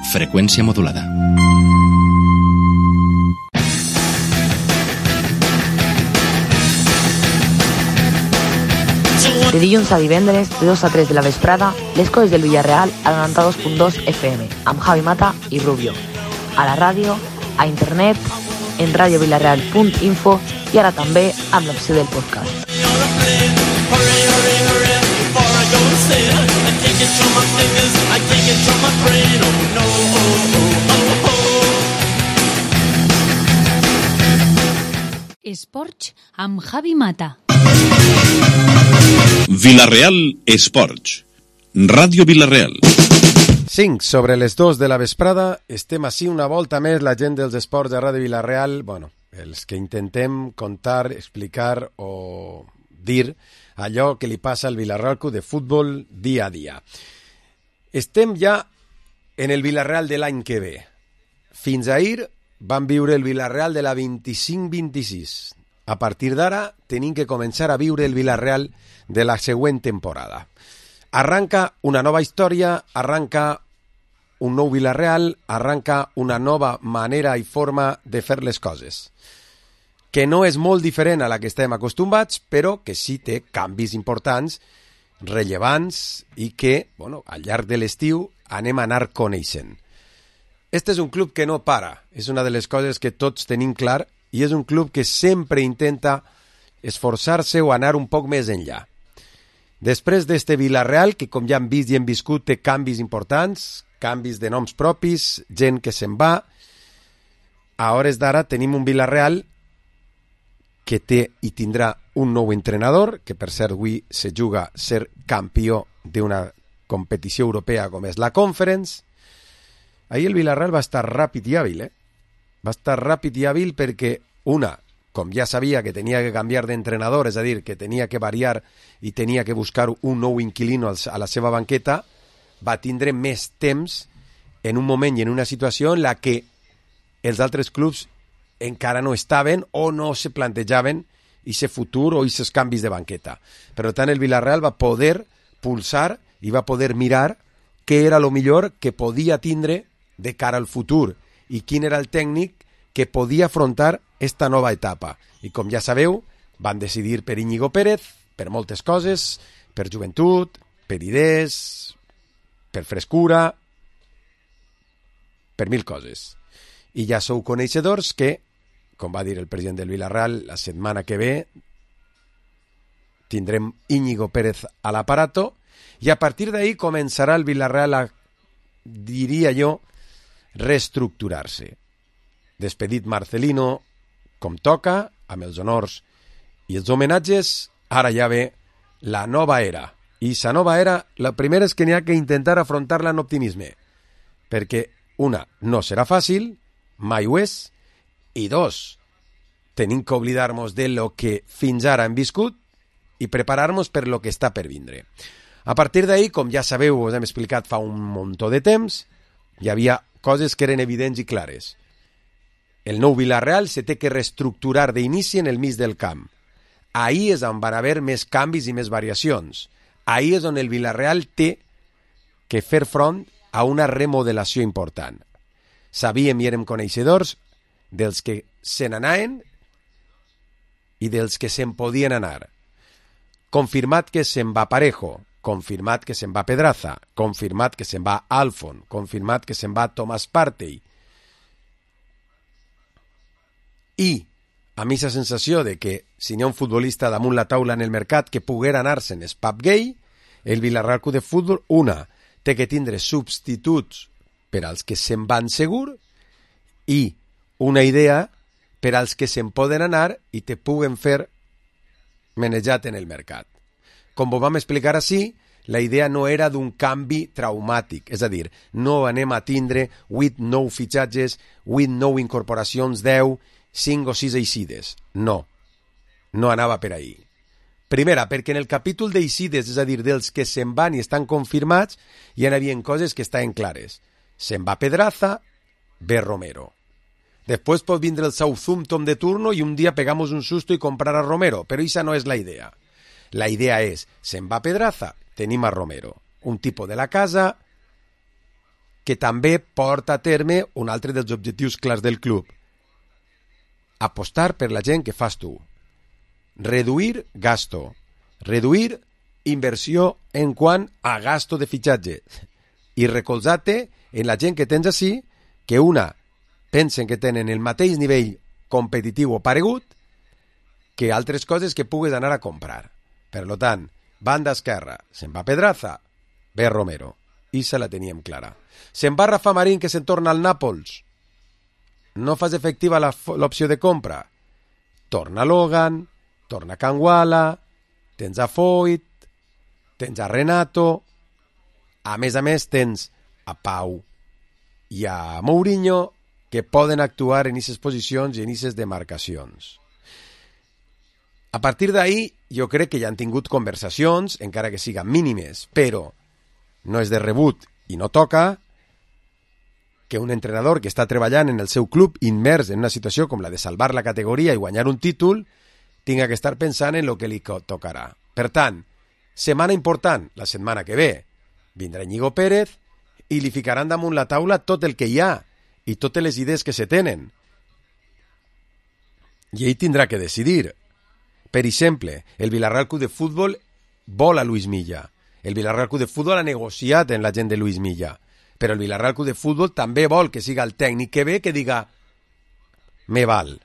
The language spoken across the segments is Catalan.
Freqüència modulada. De dilluns a divendres, de 2 a 3 de la vesprada, les coses del Villarreal a 92.2 FM, amb Javi Mata i Rubio. A la ràdio, a internet, en radiovillarreal.info i ara també amb l'opció del podcast. Esports amb Javi Mata. Villarreal Esports. Ràdio Villarreal. 5 sobre les 2 de la vesprada. Estem així una volta més la gent dels esports de Ràdio Villarreal. Bueno, els que intentem contar, explicar o dir allò que li passa al Villarreal Club de Futbol dia a dia. Estem ja en el Villarreal de l'any que ve. Fins ahir vam viure el Villarreal de la 25-26. A partir d'ara tenim que començar a viure el Villarreal de la següent temporada. Arranca una nova història, arranca un nou Villarreal, arranca una nova manera i forma de fer les coses, que no és molt diferent a la que estem acostumats, però que sí té canvis importants, rellevants i que, bueno, al llarg de l'estiu anem a anar coneixent. Este és un club que no para, és una de les coses que tots tenim clar, i és un club que sempre intenta esforçar-se o anar un poc més enllà. Després d'este Villarreal, que com ja hem vist i hem viscut, té canvis importants, canvis de noms propis, gent que se'n va, a hores d'ara tenim un Villarreal que té i tindrà un nou entrenador, que per cert avui se juga a ser campió d'una competició europea com és la Conference. Ahir el Villarreal va estar ràpid i hàbil, Va estar ràpid i hàbil perquè, una, com ja sabia que tenia que canviar d'entrenador, és a dir, que tenia que variar i tenia que buscar un nou inquilino a la seva banqueta, va tindre més temps en un moment i en una situació en la que els altres clubs encara no estaven o no se plantejaven aquest futur o aquests canvis de banqueta. Per tant, el Villarreal va poder pulsar i va poder mirar què era el millor que podia tindre de cara al futur i quin era el tècnic que podia afrontar esta nova etapa. I com ja sabeu, van decidir per Íñigo Pérez, per moltes coses, per joventut, per idees, per frescura, per mil coses. I ja sou coneixedors que, com va dir el president del Villarreal, la setmana que ve tindrem Íñigo Pérez a l'aparato i a partir d'ahí començarà el Villarreal a, diria jo, reestructurar-se. Despedit Marcelino com toca, amb els honors i els homenatges, ara ja ve la nova era. I la nova era, la primera és que n'hi ha que intentar afrontar-la amb optimisme, perquè, una, no serà fàcil, mai ho és, i dos, tenim que oblidar-nos de lo que fins ara hem viscut i preparar-nos per lo que està per vindre. A partir d'ahí, com ja sabeu, us hem explicat fa un muntó de temps, hi havia coses que eren evidents i clares. El nou Villarreal se té que reestructurar d'inici en el mig del camp. Ahí és on van haver més canvis i més variacions. Ahí és on el Villarreal té que fer front a una remodelació important. Sabíem i érem coneixedors dels que se n'anaven i dels que se'n podien anar. Confirmat que se'n va Parejo, confirmat que se'n va Pedraza, confirmat que se'n va Alfon, confirmat que se'n va Tomàs Partey. I a mi la sensació de que si n'hi ha un futbolista damunt la taula en el mercat que poguera anar-se'n és Pep Gay, el Villarreal Club de Futbol, una, té que tindre substituts per als que se'n van segur i una idea per als que se'n poden anar i te puguen fer menejat en el mercat. Com ho vam explicar així, la idea no era d'un canvi traumàtic, és a dir, no anem a tindre 8 nou fitxatges, 8 nou incorporacions, 10, 5 o 6 eixides. No, no anava per ahí. Primera, perquè en el capítol d'eixides, és a dir, dels que se'n van i estan confirmats, hi havia coses que estaven clares. Se'n va Pedraza, ve Romero. Després pot vindre el Southampton de turno i un dia pegamos un susto y comprar a Romero, però esa no és la idea. La idea és, se'n va Pedraza, tenim a Romero, un tipus de la casa que també porta a terme un altre dels objectius clars del club. Apostar per la gent que fas tu. Reduir gasto. Reduir inversió en quant a gasto de fitxatge. I recolzar-te en la gent que tens així, que una pensen que tenen el mateix nivell competitiu o paregut que altres coses que pugues anar a comprar. Per tant, banda esquerra, se'n va Pedraza, ve Romero. I se la teníem clara. Se'n va Rafa Marín, que se'n torna al Nàpols. No fas efectiva l'opció de compra. Torna Logan, torna Kangwala, tens a Foyt, tens a Renato, a més, tens a Pau i a Mourinho, que poden actuar en aquestes posicions i en aquestes demarcacions. A partir d'ahir, jo crec que ja han tingut conversacions, encara que siguin mínimes, però no és de rebut i no toca que un entrenador que està treballant en el seu club immers en una situació com la de salvar la categoria i guanyar un títol tinga que estar pensant en el que li tocarà. Per tant, setmana important, la setmana que ve, vindrà Íñigo Pérez i li ficaran damunt la taula tot el que hi ha i totes les idees que se tenen. I ell tindrà que decidir. Per exemple, el Villarreal Club de Futbol vol a Luis Milla. El Villarreal Club de Futbol ha negociat amb la gent de Luis Milla. Però el Villarreal Club de Futbol també vol que siga el tècnic que ve que diga me val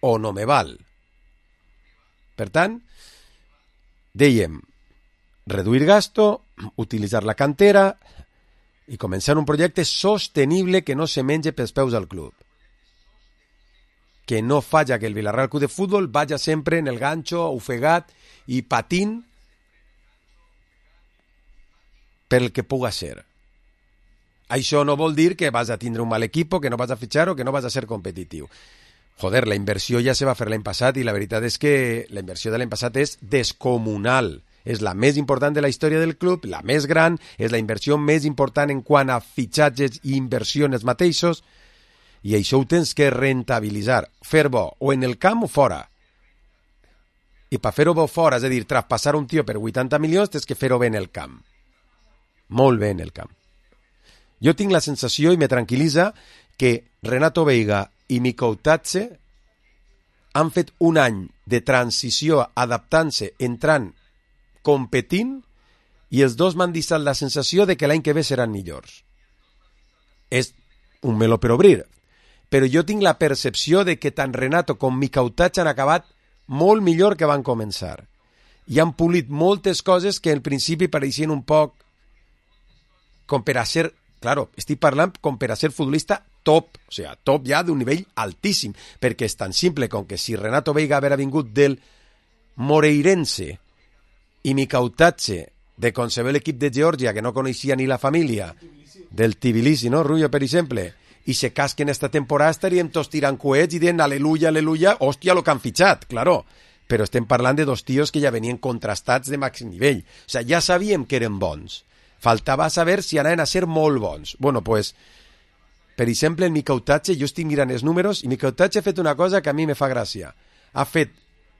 o no me val. Per tant, dèiem reduir gasto, utilitzar la cantera i començar un projecte sostenible que no se mengi pels peus al club. Que no falla que el Villarreal Club de Futbol vaya sempre en el gancho, ofegat i patint pel que puga ser. Això no vol dir que vas a tindre un mal equip, que no vas a fitxar o que no vas a ser competitiu. Joder, la inversió ja se va fer l'any passat i la veritat és que la inversió de l'any passat és descomunal. És la més important de la història del club, la més gran, és la inversió més important en quant a fitxatges i inversió en els mateixos, i això ho tens que rentabilitzar, fer bo o en el camp o fora. I per fer-ho bo fora, és a dir, traspassar un tio per 80 milions, tens que fer-ho bé en el camp. Molt bé en el camp. Jo tinc la sensació, i me tranquil·litza, que Renato Veiga i Mico Tatse han fet un any de transició adaptant-se, entrant, competint, i els dos m'han deixat la sensació de que l'any que ve seran millors. És un meló per obrir, però jo tinc la percepció de que tant Renato com Mico Tatse han acabat molt millor que van començar. I han polit moltes coses que al principi pareixien un poc com per a ser... Claro, estic parlant com per a ser futbolista top, o sigui, top ja d'un nivell altíssim, perquè és tan simple com que si Renato Veiga haguera vingut del Moreirense i Mico Tatse de conceber l'equip de Geòrgia, que no coneixia ni la família, del Tbilisi, no, Rubio, per exemple, i se casquen esta temporada, estaríem tots tirant coets i dient aleluia, aleluia, hòstia, lo que han fitxat, claro. Però estem parlant de dos tios que ja venien contrastats de màxim nivell. O sigui, ja sabíem que eren bons. Faltava saber si anaven a ser molt bons. Bueno, pues, per exemple, el Mico Tatse, jo estic mirant els números, i Mico Tatse ha fet una cosa que a mi me fa gràcia.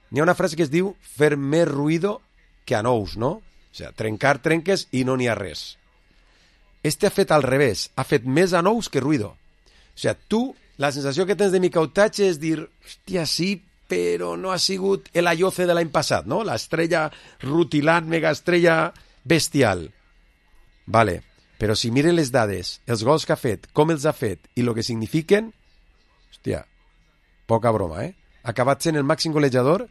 N'hi ha una frase que es diu fer més ruïdo que a nous, no? O sigui, trencar trenques i no n'hi ha res. Este ha fet al revés, ha fet més a nous que ruïdo. O sigui, tu, la sensació que tens de Mico Tatse és dir, hòstia, sí, però no ha sigut el Ayoce de l'any passat, no? L'estrella rutilant, megaestrella bestial. Vale, però si miren les dades, els gols que ha fet, com els ha fet i el que signifiquen, hòstia, poca broma, eh? Ha acabat sent el màxim golejador,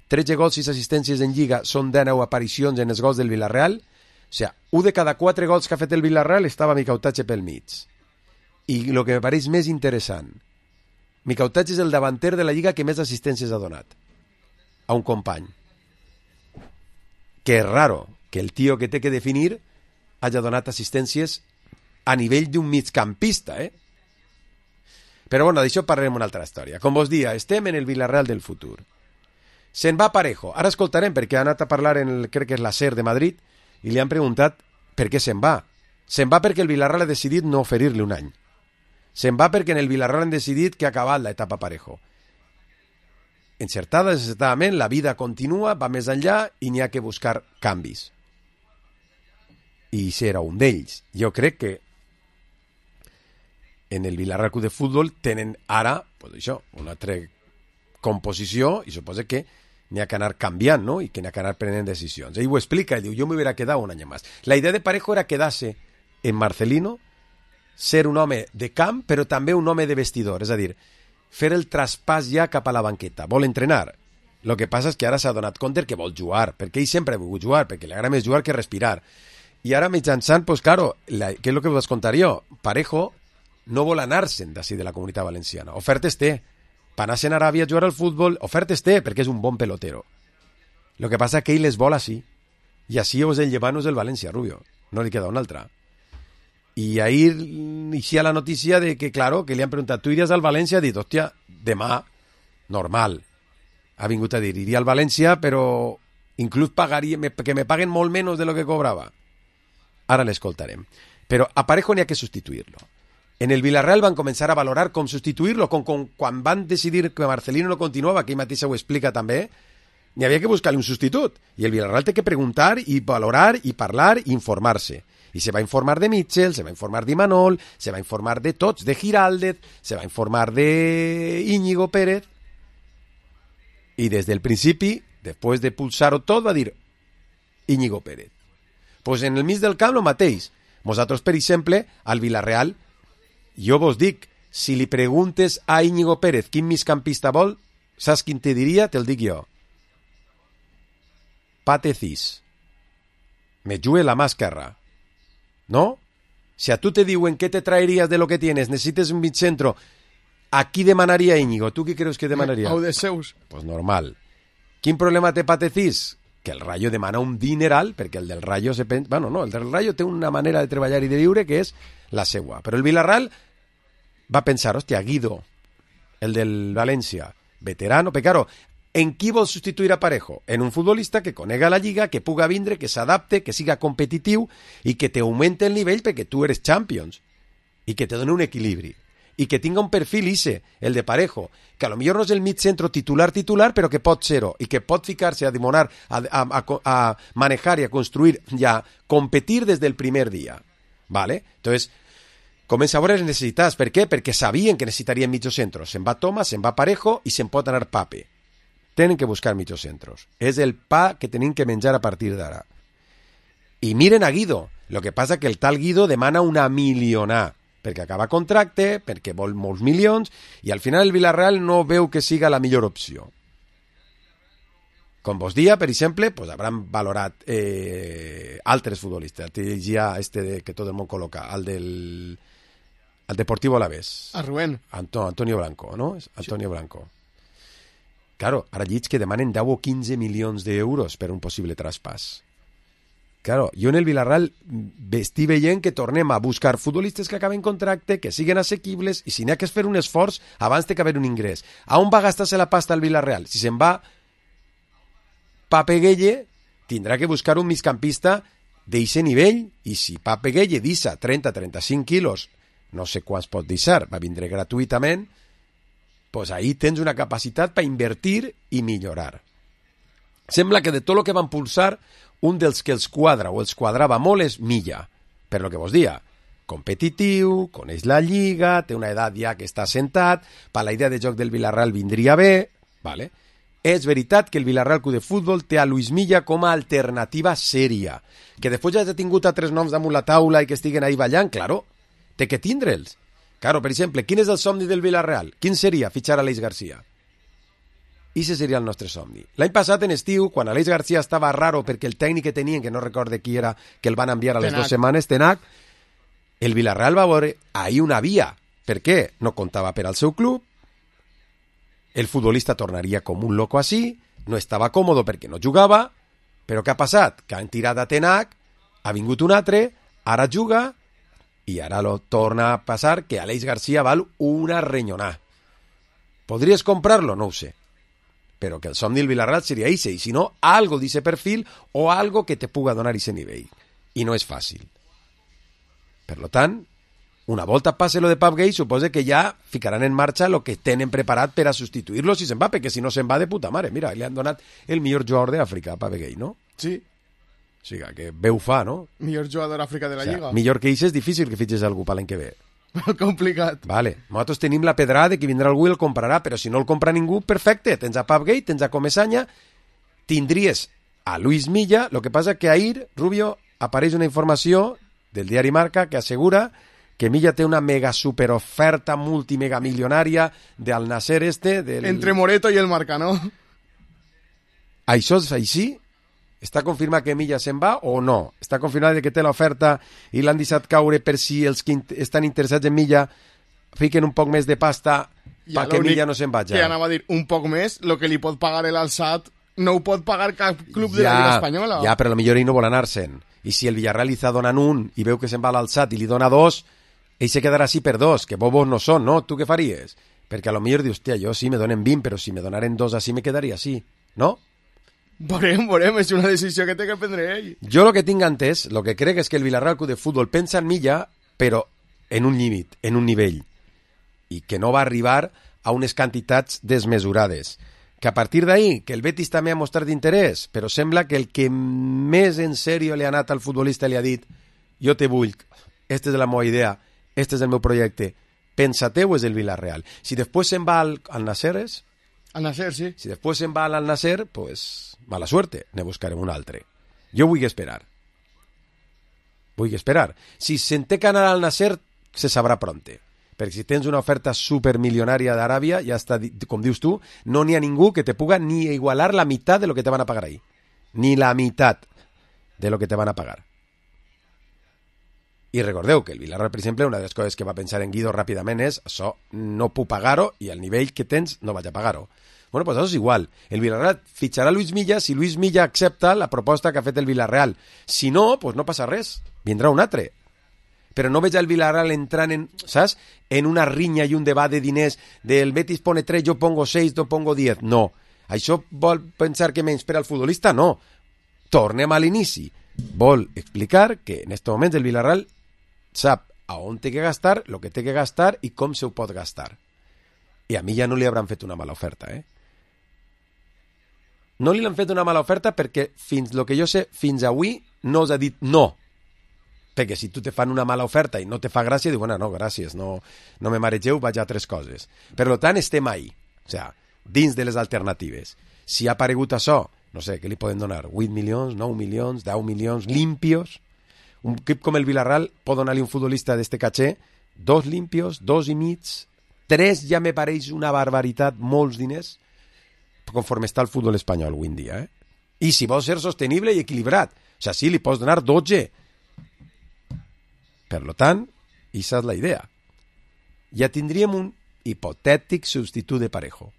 13 gols i 6 assistències en Lliga, són 19 aparicions en els gols del Villarreal, o sigui, 1 de cada 4 gols que ha fet el Villarreal estava Mico Tatse pel mig. I el que me pareix més interessant, Mico Tatse és el davanter de la Lliga que més assistències ha donat a un company. Que és raro que el tio que té que definir hagi donat assistències a nivell d'un migcampista, eh? Però bueno, d'això parlarem una altra història. Com vos dia, estem en el Villarreal del futur. Se'n va Parejo. Ara escoltarem perquè ha anat a parlar en el, crec que és la SER de Madrid, i li han preguntat per què se'n va. Se'n va perquè el Villarreal ha decidit no oferir-li un any. Se'n va perquè en el Villarreal han decidit que ha acabat l'etapa Parejo. Encertada, desencertadament, la vida continua, va més enllà i n'hi ha que buscar canvis. I serà un d'ells. Jo crec que en el Villarreal Club de Futbol tenen ara, pues això, una altra composició i suposa que n'hi ha que anar canviant, no? I que n'hi ha que anar prenent decisions. Ell ho explica, ell diu, jo m'hubiera quedat un any més. La idea de Parejo era quedar-se en Marcelino, ser un home de camp, però també un home de vestidor, és a dir, fer el traspàs ja cap a la banqueta. Vol entrenar. El que passa és que ara s'ha donat compte que vol jugar, perquè ell sempre ha volgut jugar, perquè li agrada més jugar que respirar. I ara mitjançant, pues claro, què és el que us contar jo? Parejo no vol anar-se'n d'ací de la Comunitat Valenciana. Ofertes té. Per anar-se'n a Aràbia a jugar al futbol, ofertes té, perquè és un bon pelotero. El que passa és que ell les vol així. I així és el llevant, és el València, Rubio. No li queda una altra. I ahir inicia la notícia de que, claro, que li han preguntat, tu iries al València? Ha dit, hòstia, demà, normal. Ha vingut a dir, iria al València, però inclús pagaria, que me paguen molt menys de lo que cobrava. Ara l'escoltarem. Però a Parejo n'hi ha que substituir-lo. En el Villarreal van començar a valorar com substituir-lo, quan van decidir que Marcelino no continuava, que ell mateix ho explica també, n'hi havia que buscar-li un substitut. I el Villarreal té que preguntar i valorar i parlar i informar-se. I se va informar de Mitchell, se va informar d'Imanol, se va informar de tots, de Giraldez, se va informar de Íñigo Pérez. I des del principi, després de pulsar-ho tot, va dir Íñigo Pérez. Pues en el mig del camp el mateix. Nosaltres, per exemple, al Villarreal, jo vos dic, si li preguntes a Íñigo Pérez quin migcampista vol, saps quin te diria? Te'l dic jo. Pate Cis. Me jugue la mà esquerra. ¿No? Si a tú te diuen ¿qué te traerías de lo que tienes? Necesites un midcentro. ¿A qui demanaria Íñigo? ¿Tú qué creus que demanaria? Au de seus. Pues normal. Quin problema té Pate Cis? Que el Rayo demana un dineral, perquè el del Rayo se pensa... Bueno, no, el del Rayo té una manera de treballar i de viure que és la seua. Però el Villarreal va pensar, hòstia, Guido, el del València, veterano, però claro, en qui vol substituir a Parejo? En un futbolista que conega la lliga, que puga vindre, que s'adapte, que siga competitiu i que te augmente el nivell perquè tu eres Champions i que te doni un equilibri i que tinga un perfil ise, el de Parejo, que a lo millor no és el mig centro titular, però que pot ser-ho i que pot ficar-se a dimonar, a manejar i a construir i a competir des del primer dia. ¿Vale? Entonces, comença a veure les necessitats. Per què? Perquè sabien que necessitarien mitjos centros. Se'n va Thomas, se'n va Parejo i se'n pot anar Pape. Tenen que buscar mitjos centros. És el pa que tenim que menjar a partir d'ara. I miren a Guido. Lo que passa que el tal Guido demana una milionà, perquè acaba contracte, perquè vol molts milions, i al final el Villarreal no veu que siga la millor opció. Com vos dia, per exemple, pues hauran valorat altres futbolistes. Te llegia que tot el món col·loca, el del Deportivo Alavés. A Rubén. Antonio Blanco, ¿no? Antonio Blanco. Claro, ara llits que demanen 10 o 15 milions d'euros per un possible traspàs. Claro, jo en el Villarreal estic veient que tornem a buscar futbolistes que acaben contracte, que siguen assequibles, i si n'hi ha que fer un esforç, abans té que haver un ingrés. A on va gastar-se la pasta al Villarreal? Si se'n va Pape Gueye, tindrà que buscar un migcampista d'eixe nivell, i si Pape Gueye deixa 30-35 quilos, no sé quants pot deixar, va vindre gratuïtament, pues ahí tens una capacitat per invertir i millorar. Sembla que de tot el que van pulsar, un dels que els quadra o els quadrava molt és Milla, per lo que vos dia, competitiu, coneix la lliga, té una edat ja que està assentat, per la idea de joc del Villarreal vindria bé, vale? És veritat que el Villarreal Club de Futbol té a Luis Milla com a alternativa sèria, que després ja ha tingut altres noms damunt la taula i que estiguen ahí ballant, claro, té que tindre'ls. Claro, per exemple, quin és el somni del Villarreal? Quin seria fitxar a Aleix García? I ese seria el nostre somni. L'any passat, en estiu, quan Aleix García estava raro perquè el tècnic que tenien, que no recorde qui era, que el van enviar a les 2 setmanes, Tenac, el Villarreal va veure ahí una via. Per què? No comptava per al seu club, el futbolista tornaria com un loco així, no estava còmodo perquè no jugava, però què ha passat? Que han tirat a Tenac, ha vingut un altre, ara juga, i ara lo torna a passar que Aleix García val una renyonà. ¿Podries comprarlo? No ho sé. Però que el somni del Villarreal seria ese, i si no, algo d'ese perfil o algo que te puga donar ese nivell. I no és fàcil. Per lo tant, una volta passe lo de Pape Gueye, suposa que ja ficaran en marxa lo que tenen preparat per a substituir-lo si se'n va, perquè si no se'n va de puta mare. Mira, li han donat el millor jugador d'Àfrica a Pape Gueye, no? Sí. O sigui, que veu fa, no? Millor jugador d'Àfrica de la Lliga. Millor que ell és difícil que fitxes algú per l'any que ve. Molt complicat. Vale, nosaltres tenim la pedrada que vindrà algú i el comprarà, però si no el compra ningú, perfecte, tens a Papgate, tens a Comesaña, tindries a Luis Milla, lo que passa que ahir, Rubio, apareix una informació del diari Marca que assegura que Milla té una mega super oferta multimega milionària del Nasser Entre Moreto i el Marca, no? Això és així? Està confirmat que Milla se'n va o no? Està confirmat que té l'oferta i l'han deixat caure per si els que estan interessats en Milla fiquen un poc més de pasta perquè Milla no se'n vagi. Que anava a dir un poc més, el que li pot pagar l'Alçat no ho pot pagar cap club de la Lliga Espanyola. Ja, però potser ell no vol anar-se'n. I si el Villarreal li està donant un i veu que se'n va a l'Alçat i li dona dos, ell se quedarà així per dos, que bobos no són, no? Tu què faries? Perquè a lo millor dius, hòstia, jo sí me donen 20, però si me donaren dos així me quedaria així, no? Veurem, és una decisió que té que prendre ell. Jo el que tinc entès, el que crec és que el Villarreal Club de Futbol pensa en Milla, però en un límit, en un nivell, i que no va arribar a unes quantitats desmesurades. Que a partir d'ahí, que el Betis també ha mostrat interès, però sembla que el que més en sèrio li ha anat al futbolista li ha dit jo te vull, esta és la meva idea, este és el meu projecte, pensa-teu és el Villarreal. Si després se'n va al Nasser, Al Nasser, sí. Si després se'n va al Nasser, pues mala suerte, ne buscarem un altre. Jo vull esperar. Si se'n té que anar al Nasser, se sabrà pronte. Perquè si tens una oferta supermilionària d'Aràbia, ja està, com dius tu, no n'hi ha ningú que te puga ni igualar la meitat de lo que te van a pagar ahí. Ni la meitat de lo que te van a pagar. I recordeu que el Villarreal, per exemple, una de les coses que va pensar en Guido ràpidament és això, no puc pagar-ho i al nivell que tens no vaig a pagar-ho. Bueno, pues això és igual. El Villarreal fitxarà Luis Milla si Luis Milla accepta la proposta que ha fet el Villarreal. Si no, pues no passa res. Vindrà un altre. Però no veig el Villarreal entrant en, saps? En una rinya i un debat de diners del Betis pone 3, jo pongo 6, jo pongo 10. No. Això vol pensar que menysprea el futbolista? No. Tornem a l'inici. Vol explicar que en aquest moment el Villarreal sap a on té que gastar, el que té que gastar i com se ho pot gastar. I a mi ja no li hauran fet una mala oferta, No li han fet una mala oferta perquè fins el que jo sé, fins avui no us ha dit no. Perquè si tu te fan una mala oferta i no te fa gràcia, diu, bueno, no, gràcies, no me maregeu, vaig a altres coses. Per tant, estem ahí, o sea, dins de les alternatives. Si ha aparegut això, no sé, què li poden donar? 8 milions, 9 milions, 10 milions, limpios? Un equip com el Villarreal pot donar-li un futbolista d'este caché 2 limpios, 2 i mig, 3 ja me pareix una barbaritat, molts diners, conforme està el futbol espanyol avui en dia. I si vol ser sostenible i equilibrat, o sigui, sí, li pots donar 12. Per tant, aquesta és la idea. Ja tindríem un hipotètic substitut de Parejo.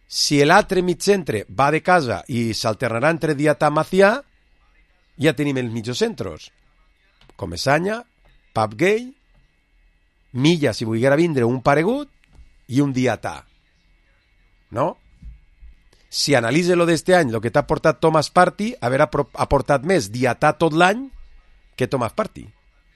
Si l'altre mitcentre va de casa i s'alternarà entre Diatà i Macià, ja tenim els mitjocentros. Comesaña, Papgate, Milla, si volguera vindre, un paregut i un Diatà. No? Si analitza lo d'este any, el que t'ha portat Thomas Partey, haver aportat més Diatà tot l'any que Thomas Partey.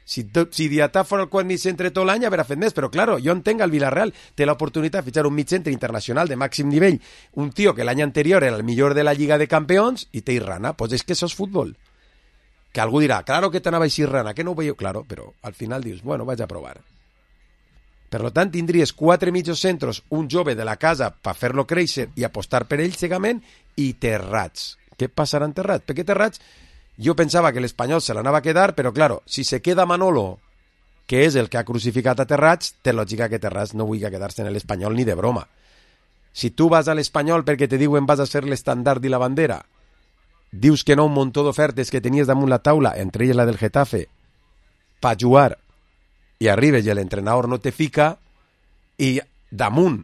Si Diatà fora el quart mig centre tot l'any, haurà fet més, però claro, jo entenc el Villarreal té l'oportunitat de fitxar un mig centre internacional de màxim nivell, un tio que l'any anterior era el millor de la Lliga de Campeons i té Irrana, pues és que això és futbol. Que algú dirà, claro que t'anava així Irrana, que no ho veieu? Claro, però al final dius, bueno, vaig a provar. Per tant, tindries 4 mitjocentros, un jove de la casa per fer-lo créixer i apostar per ell cegament, i Terrats. Què passarà en Terrats? Perquè Terrats, jo pensava que l'Espanyol se l'anava a quedar, però claro, si se queda Manolo, que és el que ha crucificat a Terrats, té lògica que Terrats no vulgui quedar-se en l'Espanyol ni de broma. Si tu vas a l'Espanyol perquè te diuen vas a ser l'estandard i la bandera, dius que no un muntó d'ofertes que tenies damunt la taula, entre elles la del Getafe, per jugar, i arribes i l'entrenador no te fica, i damunt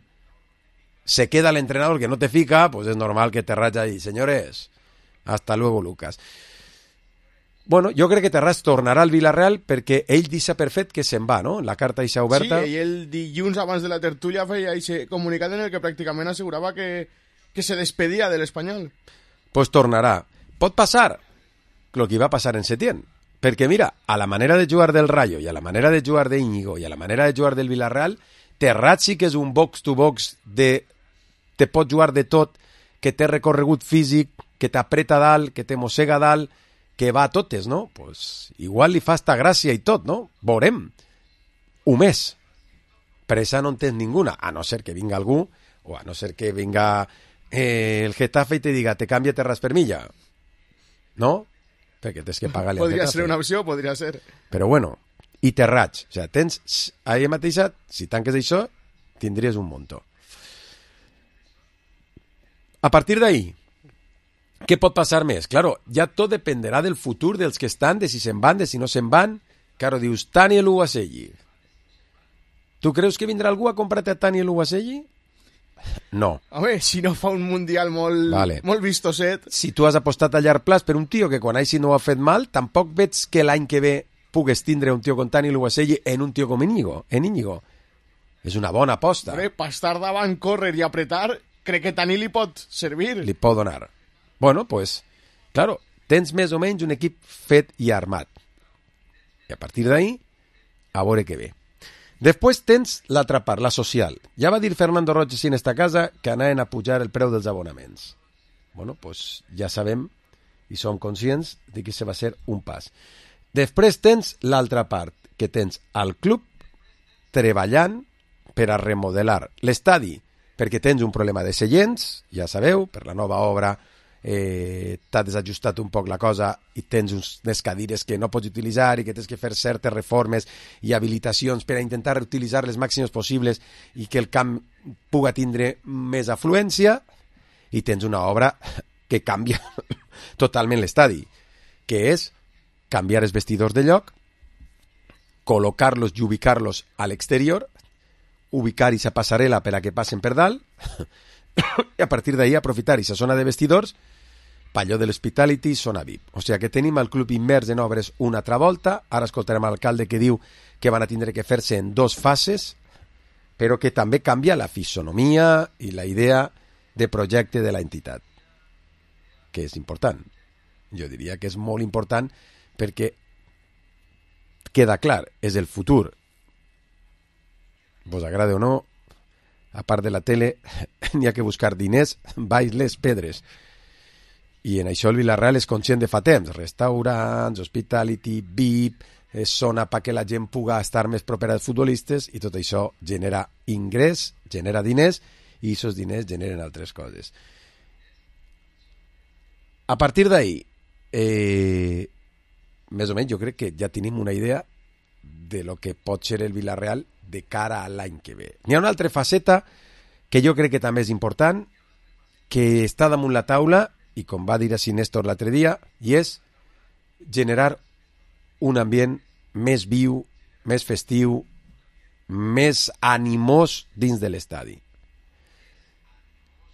se queda l'entrenador que no te fica, pues és normal que Terrats ahí, señores, hasta luego Lucas. Bueno, jo crec que Terrats tornarà al Villarreal perquè ell deixa per fet que se'n va, no? La carta deixa oberta. Sí, i el dilluns abans de la tertúlia feia aquest comunicat en el que pràcticament assegurava que se despedia de l'Espanyol. Pues tornarà. Pot passar el que va passar en Setién. Perquè mira, a la manera de jugar del Rayo i a la manera de jugar de Íñigo i a la manera de jugar del Villarreal, Terrats sí que és un box-to-box de te pot jugar de tot, que té recorregut físic, que t'apreta dalt, que te mossega dalt, que va a totes, no? Pues igual li fa esta gràcia i tot, no? Veurem. Un mes. Pressa no en tens ninguna, a no ser que vinga algú, o a no ser que vinga el Getafe i te diga, te cambia terras per milla. No? Perquè tens que pagar-li al Getafe. Podria ser una opció, podria ser. Però bueno, i te raig. O sigui, tens, ahir mateixa, si tanques això, tindries un muntó. A partir d'ahí, què pot passar més? Claro, ja tot dependerà del futur dels que estan, de si se'n van, de si no se'n van. Claro, dius, Taniel Uwaselli. Tu creus que vindrà algú a comprar-te a Taniel Uwaselli? No. Home, si no fa un mundial molt vistoset... Si tu has apostat a llarg plaç per un tio que quan així no ho ha fet mal, tampoc veig que l'any que ve pugues tindre un tio com Taniel Uwaselli en un tio com Íñigo. És una bona aposta. Home, per estar davant, córrer i apretar, crec que Tani li pot servir. Li pot donar. Bueno, pues, claro, tens més o menys un equip fet i armat. I a partir d'ahí, a veure què ve. Després tens l'altra part, la social. Ja va dir Fernando Roig en esta casa que anaven a pujar el preu dels abonaments. Bueno, pues ja sabem i som conscients de que se va ser un pas. Després tens l'altra part, que tens al club treballant per a remodelar l'estadi, perquè tens un problema de seients, ja sabeu, per la nova obra t'ha desajustat un poc la cosa i tens unes cadires que no pots utilitzar i que tens que fer certes reformes i habilitacions per a intentar reutilitzar les màximes possibles i que el camp puga tindre més afluència, i tens una obra que canvia totalment l'estadi, que és canviar els vestidors de lloc, col·locar-los i ubicar-los a l'exterior, ubicar aquesta passarel·la per a que passen per dalt i a partir d'ahí aprofitar aquesta zona de vestidors palló de l'Hospitality, zona VIP. O sigui que tenim el club immers en obres una altra volta. Ara escoltarem l'alcalde que diu que van a tindre que fer-se en 2 fases, però que també canvia la fisonomia i la idea de projecte de la entitat, que és important. Jo diria que és molt important perquè queda clar, és el futur. Vos agrade o no, a part de la tele, n'hi ha que buscar diners baix les pedres. I en això el Villarreal és conscient de fa temps. Restaurants, hospitality, VIP, zona perquè la gent puga estar més propera als futbolistes, i tot això genera ingrés, genera diners, i aquests diners generen altres coses. A partir d'ahí, més o menys jo crec que ja tenim una idea de lo que pot ser el Villarreal de cara a l'any que ve. N'hi ha una altra faceta que jo crec que també és important, que està damunt la taula, i com va dir així Néstor l'altre dia, i és generar un ambient més viu, més festiu, més animós dins de l'estadi.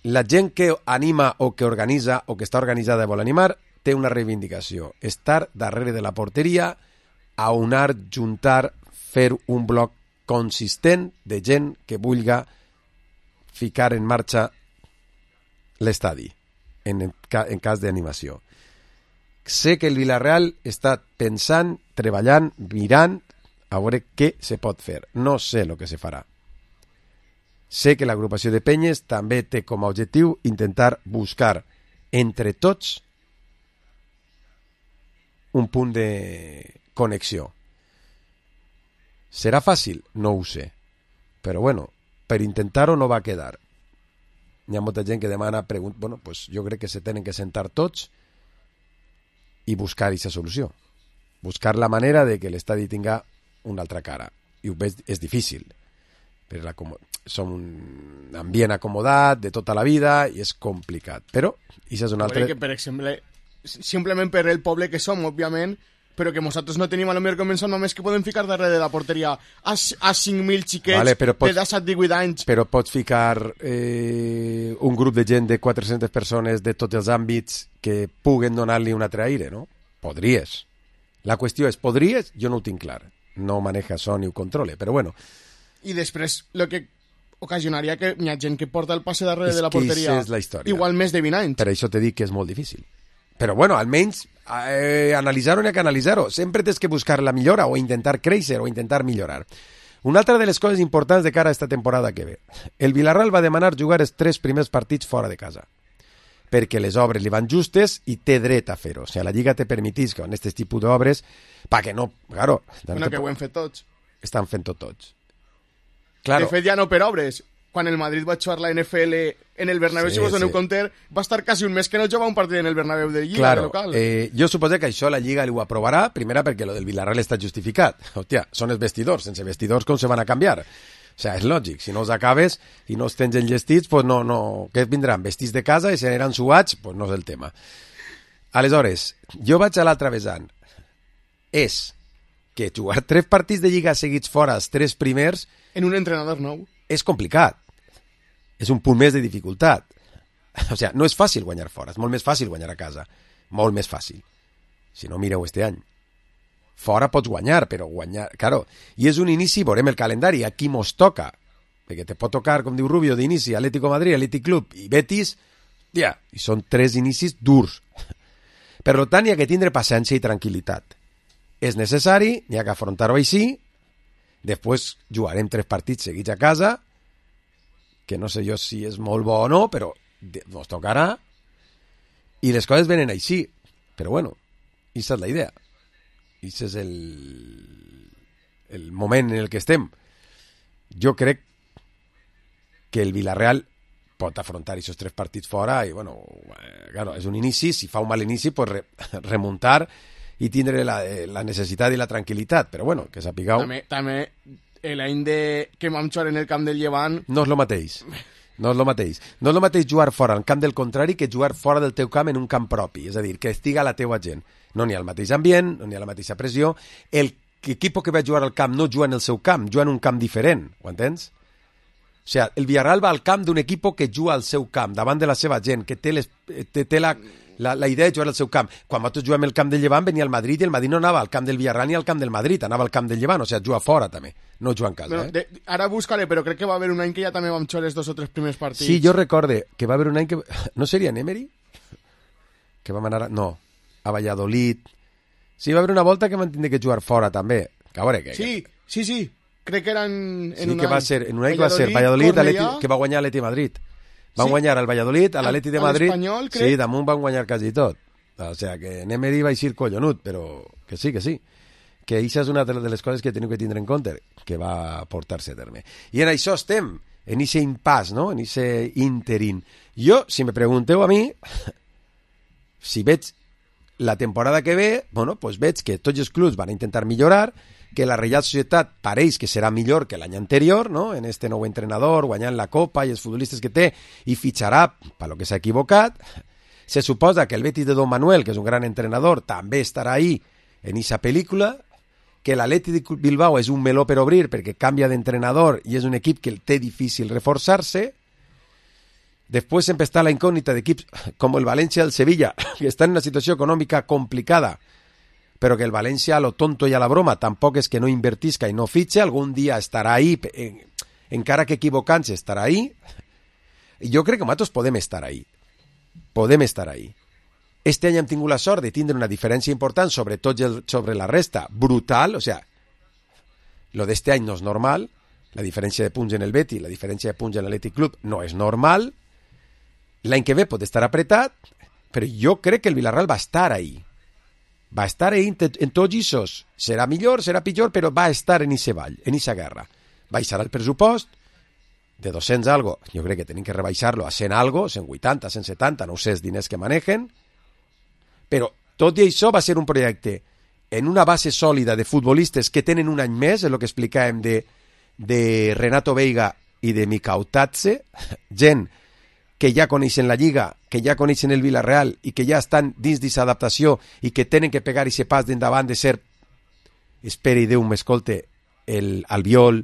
La gent que anima o que organitza o que està organitzada i vol animar té una reivindicació, estar darrere de la porteria, aunar, juntar, fer un bloc consistent de gent que vulga ficar en marxa l'estadi en cas d'animació. Sé que el Villarreal està pensant, treballant, mirant a veure què se pot fer. No sé el que se farà. Sé que l'agrupació de penyes també té com a objectiu intentar buscar entre tots un punt de connexió. ¿Serà fàcil? No ho sé. Però bueno, per intentar-ho no va quedar. Hi ha molta gent que demana, bueno, pues jo crec que se tenen que sentar tots i buscar aquesta solució. Buscar la manera de que l'estadi tinga una altra cara. I ho veig, és difícil. Som un ambient acomodat de tota la vida i és complicat. Però, això és una altra... Que, per exemple, simplement per el poble que som, òbviament, però que nosaltres no tenim a lo millor començant només que podem ficar darrere de la porteria a 5.000 xiquets de 17-18 anys. Però pots ficar un grup de gent de 400 persones de tots els àmbits que puguen donar-li un altre aire, no? Podries. La qüestió és, podries? Jo no ho tinc clar. No maneja això ni ho controle, però bueno. I després, el que ocasionaria que hi ha gent que porta el passe darrere de la porteria és la història. Igual més de 20 anys. Per això t'he dit que és molt difícil. Però bueno, almenys analitzar-ho n'hi ha que analitzar-ho. Sempre tens que buscar la millora o intentar créixer o intentar millorar. Una altra de les coses importants de cara a esta temporada que ve. El Villarreal va demanar jugar els 3 primers partits fora de casa. perquè les obres li van justes i té dret a fer-ho. O sigui, la Lliga te permetís que en aquest tipus d'obres, perquè no, claro... Bueno, que ho hem fet tots. Estan fent-ho tots. Claro. De fet, ja no per obres. Quan el Madrid va jugar la NFL en el Bernabéu, si vos doneu compte, va estar quasi un mes que no jugava un partit en el Bernabéu de Lliga local. Jo suposo que això la Lliga ho aprovarà, primera perquè lo del Villarreal està justificat. Hòstia, són els vestidors, sense vestidors com se van a canviar? O sigui, és lògic, si no els acabes i no els tens enllestits, pues no, què vindran? Vestits de casa i se n'aniran suats? Pues no és el tema. Aleshores, jo vaig a l'altre vessant. És que jugar 3 partits de Lliga seguits fora, els 3 primers... En un entrenador nou. És complicat. És un punt més de dificultat. O sigui, no és fàcil guanyar fora, és molt més fàcil guanyar a casa. Molt més fàcil. Si no, mireu este any. Fora pots guanyar, però guanyar... Claro, i és un inici, veurem el calendari, a qui mos toca. Perquè te pot tocar, com diu Rubio, d'inici, Atlético Madrid, Athletic Club i Betis, ja, i són 3 inicis durs. Per tant, hi ha que tindre paciència i tranquil·litat. És necessari, n'hi ha que afrontar-ho així, després jugarem 3 partits seguits a casa, que no sé jo si és molt bo o no, però ens tocarà, i les coses venen així. Però bueno, aquesta és la idea. I aquest és el moment en el que estem. Jo crec que el Villarreal pot afrontar aquests 3 partits fora i, bueno, claro, és un inici, si fa un mal inici, pues remuntar i tindre la necessitat i la tranquil·litat, però bueno, que sapigueu... També l'any que vam jugar en el camp del Llevant... No és el mateix. No és el mateix. No és el mateix jugar fora al camp del contrari que jugar fora del teu camp en un camp propi, és a dir, que estiga la teua gent. No n'hi ha el mateix ambient, no n'hi ha la mateixa pressió. L'equip que va jugar al camp no juga en el seu camp, juga en un camp diferent, ho entens? O sigui, el Villarreal va al camp d'un equip que juga al seu camp, davant de la seva gent, que té la idea de jugar al seu camp. Quan nosaltres juguem al camp del Llevant venia el Madrid i el Madrid no anava al camp del Villarreal ni al camp del Madrid, anava al camp del Llevant, o sigui, juga fora també, no juga en casa. Bueno, ara buscaré, però crec que va haver un any que ja també vam jugar els 2 o 3 primers partits. Sí, jo recorde que va haver un any que... No seria en Emery? Que vam anar... No, a Valladolid... Sí, va haver una volta que vam tindre que jugar fora també. Que a veure què... Sí. Crec que era en un que any. Va ser, en un any que va ser Valladolid, que va guanyar l'Atleti Madrid. Van guanyar al Valladolid, a l'Atleti de Madrid. L'Espanyol, crec. Sí, damunt van guanyar quasi tot. O sigui, que en Emery va eixir collonut, però que sí. Que això és una de les coses que teniu que tindre en compte, que va portar-se a terme. I en això estem, en aquest impàs, no? En aquest interín. Jo, si me pregunteu a mi, si veig la temporada que ve, bueno, pues veig que tots els clubs van a intentar millorar, que la Reial Societat pareix que serà millor que l'any anterior, no? En este nou entrenador, guanyant la Copa i els futbolistes que té, i fitxarà per lo que s'ha equivocat. Se suposa que el Betis de Don Manuel, que és un gran entrenador, també estarà ahí en aquesta pel·lícula, que l'Atleti de Bilbao és un meló per obrir perquè canvia d'entrenador i és un equip que té difícil reforçar-se. Després sempre està la incògnita d'equips com el València i el Sevilla, que estan en una situació econòmica complicada, però que el València, a lo tonto i a la broma, tampoc és que no invertisca i no fitxe, algun dia estarà ahí, encara que equivocant-se estarà ahí. I jo crec que nosaltres podem estar ahí. Podem estar ahí. Este any hem tingut la sort de tindre una diferència important, sobretot sobre la resta, brutal, o sigui, lo d'este any no és normal, la diferència de punts en el Betis, la diferència de punts en l'Athletic Club no és normal, l'any que ve pot estar apretat, però jo crec que el Villarreal va estar ahí. Va estar ahí en tots aquests. Serà millor, serà pitjor, però va estar en aquest ball, en aquesta guerra. Baixarà el pressupost de 200 algo. Jo crec que tenim que rebaixar-lo a 100 algo, 180, 170, no sé els diners que manegen. Però tot i això va ser un projecte en una base sòlida de futbolistes que tenen un any més, és el que explicàvem de Renato Veiga i de Mikau Tatze, gent que ja coneixen la Lliga, que ja coneixen el Villarreal i que ja estan dins d'aquesta adaptació i que tenen que pegar aquest pas d'endavant de ser, esperi Déu m'escolte, el Albiol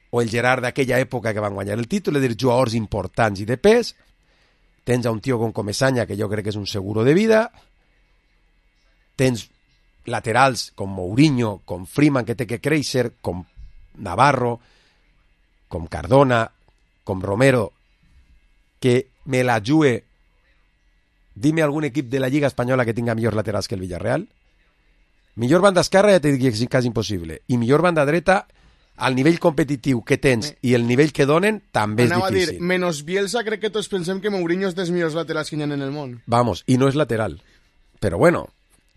o el Gerard d'aquella època que van guanyar el títol, és dir, jugadors importants i de pes. Tens a un tio com Comesaña, que jo crec que és un seguro de vida. Tens laterals com Mourinho, com Freeman, que té que créixer, com Navarro, com Cardona, com Romero, que me la jugue. Dime algun equip de la Lliga Espanyola que tinga millors laterals que el Villarreal. Millor banda esquerra ja t'he dit que és quasi impossible. I millor banda dreta, al nivell competitiu que tens i el nivell que donen, també és difícil. Anava a dir, menos Bielsa, crec que tots pensem que Mourinho és dels millors laterals que hi ha en el món. Vamos, i no és lateral. Però bueno,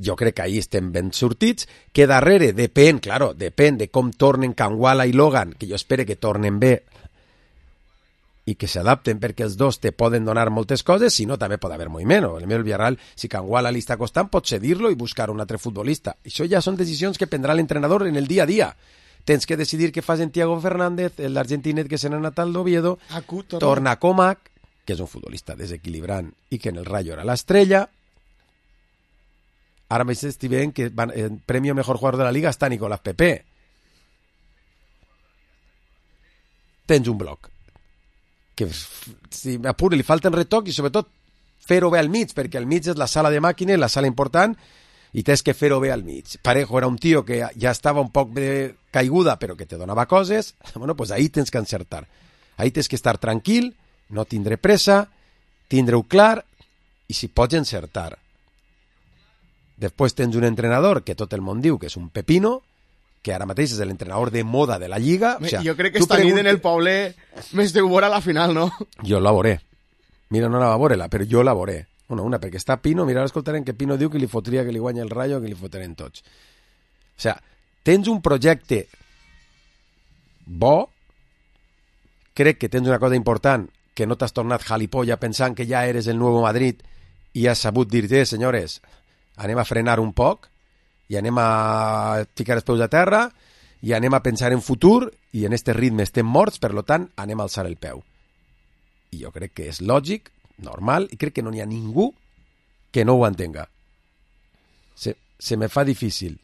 jo crec que ahí estem ben sortits, que darrere depèn de com tornen Kangwala i Logan, que jo espero que tornen bé i que s'adapten perquè els dos te poden donar moltes coses, si no també pot haver moviment. El Villarreal, si Kangwala li està costant, pot cedir-lo i buscar un altre futbolista. Això ja són decisions que prendrà l'entrenador en el dia a dia. Tens que decidir què fas en Thiago Fernández, l'argentinet que se n'ha anat al Oviedo, torna a Comac, que és un futbolista desequilibrant i que en el Rayo era l'estrella. Ara m'estic veient que el premi mejor jugador de la Liga està Nicolás Pepe. Tens un bloc que si m'apure li falten retoc i sobretot fer-ho bé al mig, perquè al mig és la sala de màquines, la sala important, i tens que fer-ho bé al mig. Parejo era un tio que ja estava un poc de caiguda però que te donava coses. Bueno, pues ahí tens que encertar, ahí tens que estar tranquil, no tindre pressa, tindre-ho clar i si pots encertar. Després tens un entrenador que tot el món diu que és un pepino, que ara mateix és l'entrenador de moda de la Lliga. O sea, jo crec que esta nit en el Poble més deu veure a la final, no? Jo la veuré. Mira, no la va veure-la, però jo la veuré. Una, perquè està Pino, mira, ara escoltarem que Pino diu que li fotria que li guanya el Rayo, que li fotrem tots. O sea, tens un projecte bo, crec que tens una cosa important, que no t'has tornat jalipolla pensant que ja eres el nou Madrid i has sabut dir-te, senyores, anem a frenar un poc, i anem a ficar els peus a terra i anem a pensar en futur i en este ritme estem morts, per tant anem a alçar el peu. I jo crec que és lògic, normal, i crec que no n'hi ha ningú que no ho entenga. Se me fa difícil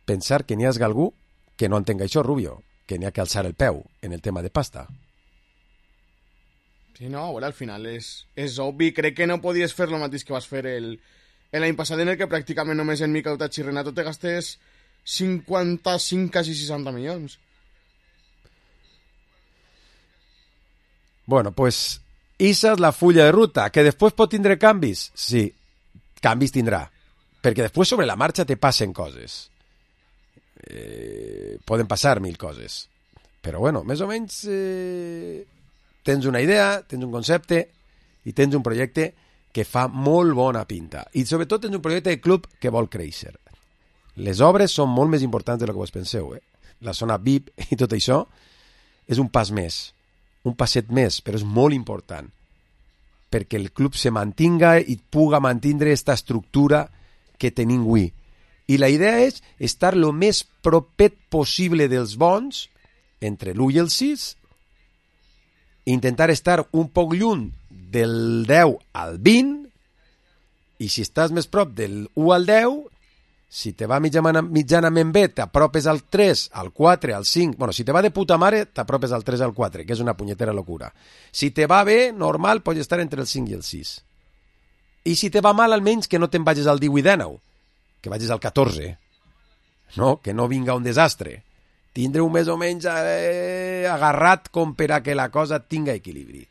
pensar que n'hi hagi algú que no entenga això, Rubio, que n'hi ha que alçar el peu en el tema de pasta. Sí, no, bueno, al final és obvi. Crec que no podies fer el mateix que vas fer l'any passat, en el que pràcticament només en Mikel Otachi i Renato te gastes 55, quasi 60 milions. Bueno, pues esa és la fulla de ruta. Que després pot tindre canvis? Sí, canvis tindrà. Perquè després sobre la marxa te passen coses. Poden passar 1000 coses. Però bueno, més o menys tens una idea, tens un concepte i tens un projecte que fa molt bona pinta. I sobretot tens un projecte de club que vol créixer. Les obres són molt més importants del que vos penseu. La zona VIP i tot això és un pas més, un passet més, però és molt important perquè el club se mantinga i puga mantindre aquesta estructura que tenim avui. I la idea és estar el més propet possible dels bons, entre l'1 i el 6, intentar estar un poc lluny del 10 al 20, i si estàs més prop del 1 al 10, si te va mitjanament bé, t'apropes al 3, al 4, al 5... Bueno, si te va de puta mare, t'apropes al 3 al 4, que és una punyetera locura. Si te va bé, normal, pots estar entre el 5 i el 6. I si te va mal, almenys que no te'n vagis al 18 i 19, que vagis al 14. No? Que no vinga un desastre. Tindre-ho més o menys agarrat com per a que la cosa tinga equilibri.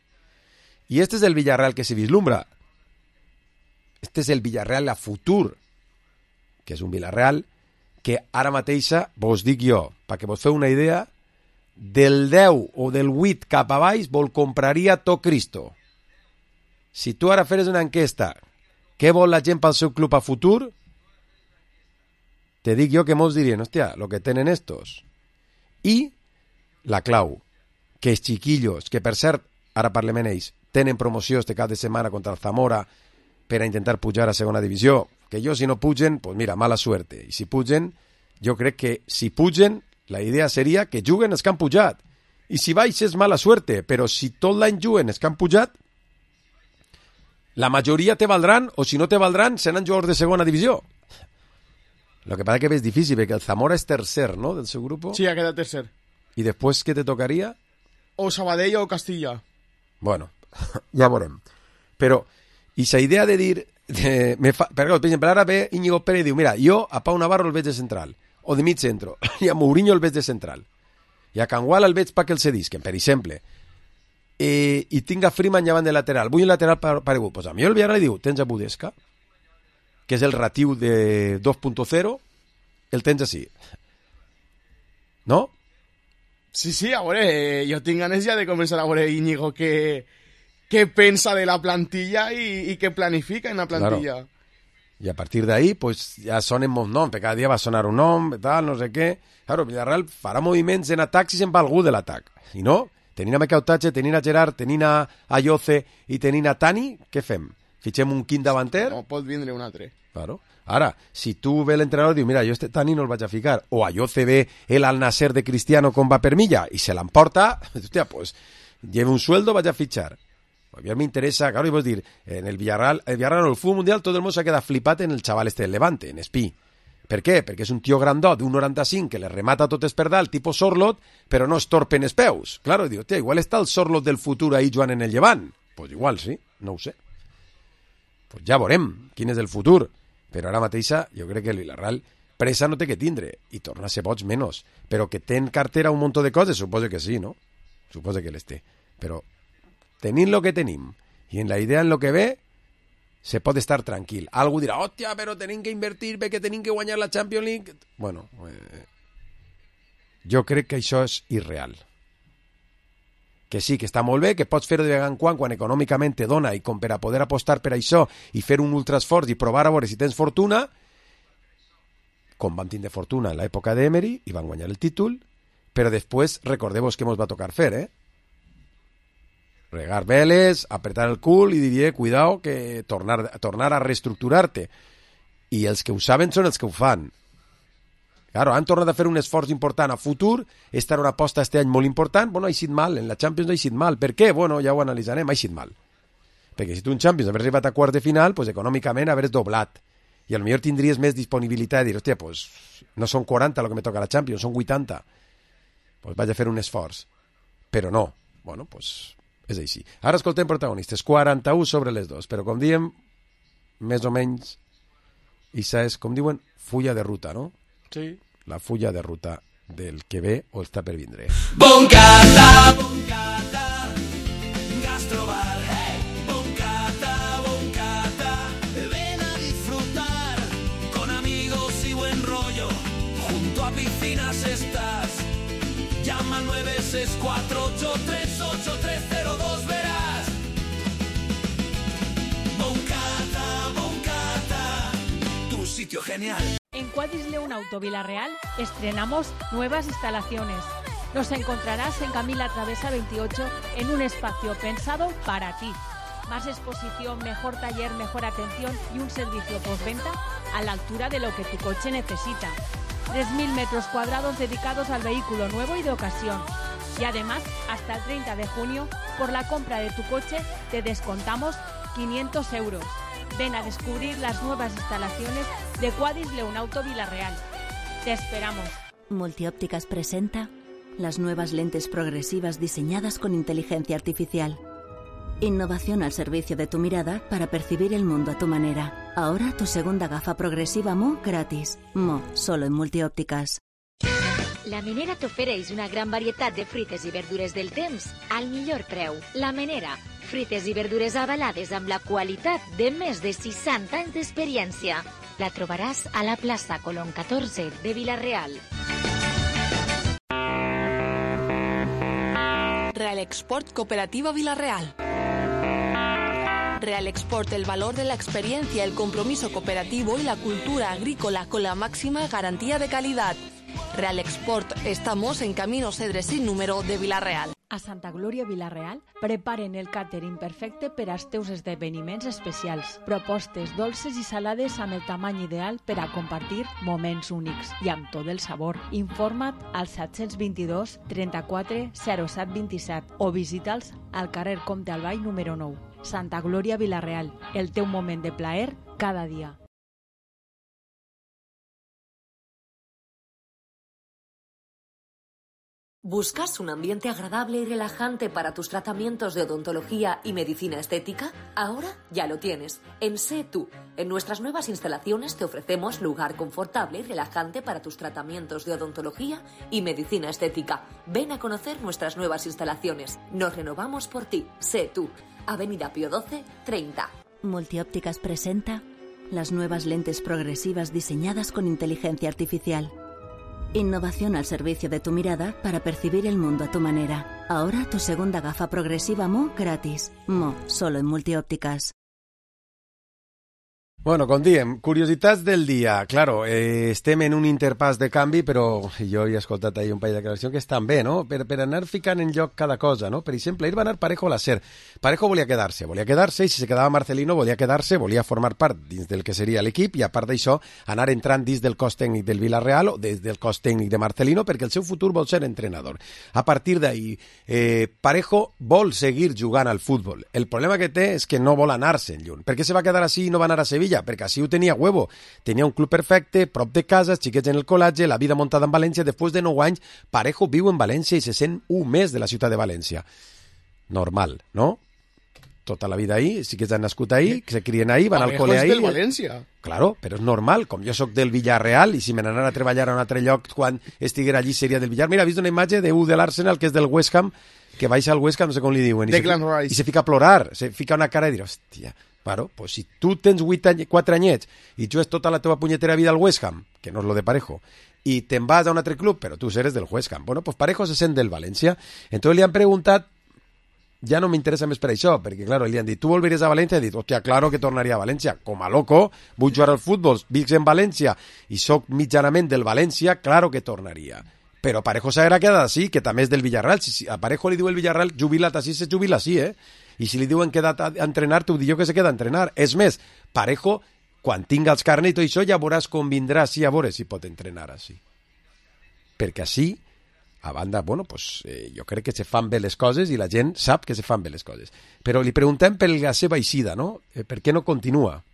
I este és el Villarreal que se vislumbra. Este és el Villarreal a futur, que és un Villarreal que ara mateixa, vos dic jo, perquè vos feu una idea, del 10 o del 8 cap a baix vol compraria tot Cristo. Si tu ara feres una enquesta, què vol la gent pel seu club a futur? Te dic jo que molts dirien, hòstia, lo que tenen estos. I la clau, que els chiquillos, que per cert, ara parlem en ells, tenen promoció este cap de setmana contra el Zamora per a intentar pujar a segona divisió, que jo si no pugen, pues mira, mala suerte. I si pugen, jo crec que si pugen, la idea seria que juguen els que han pujat. I si baix és mala suerte, però si tot l'any juguen els que han pujat, la majoria te valdran, o si no te valdran, seran jugadors de segona divisió. Lo que pasa que és difícil, perquè el Zamora és tercer, ¿no?, del seu grup. Sí, ha quedat tercer. I després què te tocaria? O Sabadell o Castilla. Bueno, ja veurem. Però, i la idea de dir... per exemple, ara ve Íñigo Pérez i diu, mira, jo a Pau Navarro el veig de central, o de mig centro, i a Mourinho el veig de central, i a Kangwala el veig perquè el cedisquen, per exemple, i tinc a Freeman llevant de lateral, vull un lateral paregut. Pues a mi el Villarreal li diu, tens a Budesca, que és el ratiu de 2.0, el tens així. no? Sí, a veure, jo tinc ganes ja de començar a veure Íñigo què pensa de la plantilla i què planifica en la plantilla. Claro. Y a partir de ahí, pues ya sonen molts noms, perquè cada dia va sonar un nom, tal, no sé què. Claro, Villarreal farà moviments en atac si se'n va algú de l'atac. Si no, tenint a Mecautatge, tenint a Gerard, tenint a Ayoce i tenint a Tani, què fem? Fitxem un quint davanter? No, pot vindre un altre. Claro. Ara, si tu ve l'entrenador i diu, mira, jo este Tani no el vaig a ficar, o Ayoce ve el Al-Nasser de Cristiano com va per milla i se l'emporta, hòstia, pues lleve un sueldo, vaig a fichar. A mí me interesa, claro, y vos decir, en el Villarreal o el fútbol mundial, todo el mundo se queda flipat en el chaval este del Levante, en Espí. Per què? Perquè és un tio grandot d'un 95 que le remata tot esperdal, tipo Sorlot, però no es torpe en els peus. Claro, diu, tia, igual està el Sorlot del futur ahí jugant en el Llevant. Pues igual, sí, no ho sé. Pues ja veurem quin és el futur. Però ara mateixa jo crec que el Villarreal pressa no té que tindre, i torna a ser boig menys. Però que té en cartera un munt de coses, suposo que sí, no? Suposo que les té. Però tenint lo que tenim i en la idea en lo que ve, se pot estar tranquil. Algú dirà, hòstia, però tenim que invertir perquè tenim que guanyar la Champions League. Bueno, jo crec que això és irreal. Que sí, que està molt bé, que pots fer-ho de vegada en quan econòmicament te dona i com per a poder apostar per això i fer un ultraesforç i provar a veure si tens fortuna, com vam tindre fortuna en l'època d'Emery i van guanyar el títol, però després recordeu-vos què mos va tocar fer, regar veles, apretar el cul i diria, cuidao, que tornar a reestructurar-te. I els que ho saben són els que ho fan. Claro, han tornat a fer un esforç important a futur, esta era una aposta este any molt important, bueno, ha eixit mal, en la Champions ha eixit mal. Per què? Bueno, ja ho analitzarem, ha eixit mal. Perquè si tu en Champions haver arribat a quarts de final, pues econòmicament haver doblat. I potser tindries més disponibilitat de dir, hòstia, pues no són 40 el que me toca a la Champions, són 80. Pues vaig a fer un esforç. Però no. Bueno, pues és així. Ara escoltem protagonistes, 41 sobre les 2, però com diem, més o menys, això és, com diuen, fulla de ruta, no? Sí. La fulla de ruta del que ve o està per vindre. Boncata, gastrobar, boncata, ven a disfrutar, con amigos y buen rollo, junto a piscinas estás, llama al 964838302, verás. Boncata, tu sitio genial. En Quadis León Auto Villarreal estrenamos nuevas instalaciones. Nos encontrarás en Camila Travesa 28 en un espacio pensado para ti. Más exposición, mejor taller, mejor atención y un servicio postventa a la altura de lo que tu coche necesita. 3.000 metros cuadrados dedicados al vehículo nuevo y de ocasión. Y además, hasta el 30 de junio, por la compra de tu coche, te descontamos 500 euros. Ven a descubrir las nuevas instalaciones de Quadis León Auto Villarreal. Te esperamos. Multiópticas presenta las nuevas lentes progresivas diseñadas con inteligencia artificial. Innovación al servicio de tu mirada para percibir el mundo a tu manera. Ahora tu segunda gafa progresiva Mo gratis. Mo, solo en Multiópticas. La Menera t'ofereix una gran varietat de fruites i verdures del temps al millor preu. La Menera, fruites i verdures avalades amb la qualitat de més de 60 anys d'experiència. La trobaràs a la plaça Colón 14 de Vila-real. Real Export Cooperativa Vila-real. Real Export, el valor de la experiencia, el compromiso cooperativo y la cultura agrícola con la máxima garantía de calidad. Real Export, estamos en Camino Cedre sin número de Vila-real. A Santa Glòria Vila-real preparen el càtering perfecte per als teus esdeveniments especials. Propostes dolces i salades amb el tamany ideal per a compartir moments únics i amb tot el sabor. Informa't al 722 34 07 27 o visita'ls al carrer Comte Albay número 9. Santa Glòria Vila-real, el teu moment de plaer cada dia. ¿Buscas un ambiente agradable y relajante para tus tratamientos de odontología y medicina estética? Ahora ya lo tienes. En Sé Tú. En nuestras nuevas instalaciones te ofrecemos lugar confortable y relajante para tus tratamientos de odontología y medicina estética. Ven a conocer nuestras nuevas instalaciones. Nos renovamos por ti. Sé Tú. Avenida Pío XII, 30. Multiópticas presenta las nuevas lentes progresivas diseñadas con inteligencia artificial. Innovación al servicio de tu mirada para percibir el mundo a tu manera. Ahora tu segunda gafa progresiva Mo gratis. Mo, solo en Multiópticas. Bueno, com diem, curiositats del dia. Claro, estem en un interpàs de canvi, però jo he escoltat ahir un parell de declaracions que estan bé, no? Per anar ficant en lloc cada cosa, no? Per exemple, ahir va anar Parejo a la SER. Parejo volia quedar-se, i si se quedava Marcelino volia quedar-se, volia formar part dins del que seria l'equip i a part d'això anar entrant dins del cos tècnic del Villarreal o des del cos tècnic de Marcelino perquè el seu futur vol ser entrenador. A partir d'ahir, Parejo vol seguir jugant al futbol. El problema que té és que no vol anar-se'n lluny. Per què se va quedar així i no va anar a Sevilla? Perquè així ho tenia huevo. Tenia un club perfecte, prop de casa, els xiquets en el col·legi, la vida muntada en València. Després de 9 anys, Parejo viu en València i se sent un mes de la ciutat de València. Normal, no? Tota la vida ahí, sí que han nascut ahí, que se crien ahí, van al col·le ahí. Parejo és del València. Claro, però és normal, com jo sóc del Villarreal i si me n'anara a treballar a un altre lloc quan estiguera allí seria del Villar. Mira, he vist una imatge de de l'Arsenal que és del West Ham, que baixa al West Ham, no sé com li diuen, i se fica a plorar, se fica una cara i dir, hòstia, claro, pues si tu tens 4 anyets i jugues tota la teva punyetera vida al West Ham, que no és lo de Parejo, i te'n vas a un altre club, però tu eres del West Ham. Bueno, pues Parejo se sent del València. Entonces li han preguntat, ja no m'interessa més per això, perquè, claro, li han dit, tu volveries a València? I he dit, hòstia, claro que tornaria a València. Com a loco, vull jugar al futbol, visc en València i sóc mitjanament del València, claro que tornaria. Però Parejo s'haurà quedat així, que també és del Villarreal. Si a Parejo li diu el Villarreal, jubila't així, se jubila així, I si li diuen queda't a entrenar, t'ho dic jo que se queda a entrenar. És més, Parejo, quan tinga els carnets i tot això, ja veuràs com vindrà així a veure si pot entrenar així. Perquè així, a banda, bueno, pues, jo crec que se fan bé les coses i la gent sap que se fan bé les coses. Però li preguntem per la seva eixida, no? Per què no continua?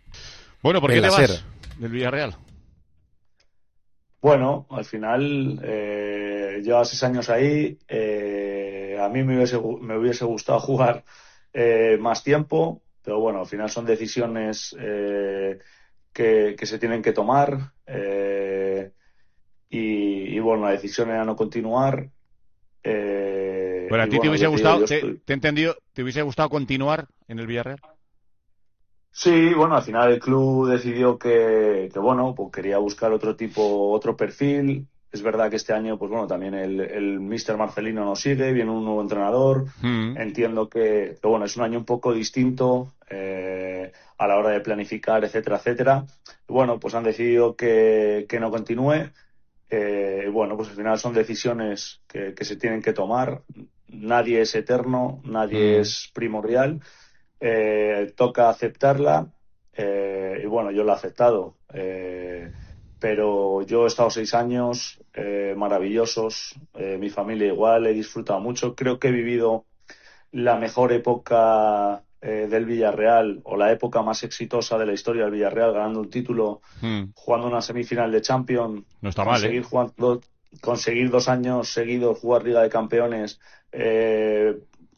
Bueno, ¿por qué te vas del Villarreal? Bueno, al final llevas 6 años ahí. A mí me hubiese gustado jugar más tiempo, pero bueno, al final son decisiones que se tienen que tomar. Y bueno, la decisión era no continuar. Bueno, a ti te hubiese gustado, te he entendido, ¿te hubiese gustado continuar en el Villarreal? Sí, bueno, al final el club decidió que bueno, pues quería buscar otro perfil. Es verdad que este año, pues bueno, también el Mr. Marcelino no sigue, viene un nuevo entrenador. Entiendo que bueno, es un año un poco distinto a la hora de planificar, etcétera, etcétera. Y bueno, pues han decidido que no continúe. Bueno, pues al final son decisiones que se tienen que tomar. Nadie es eterno, nadie es primordial. Toca aceptarla y bueno, yo la he aceptado. Pero yo he estado 6 años maravillosos, mi familia igual, he disfrutado mucho. Creo que he vivido la mejor época del Villarreal, o la época más exitosa de la historia del Villarreal, ganando un título, jugando una semifinal de Champions. No está mal, conseguir 2 años seguidos jugar Liga de Campeones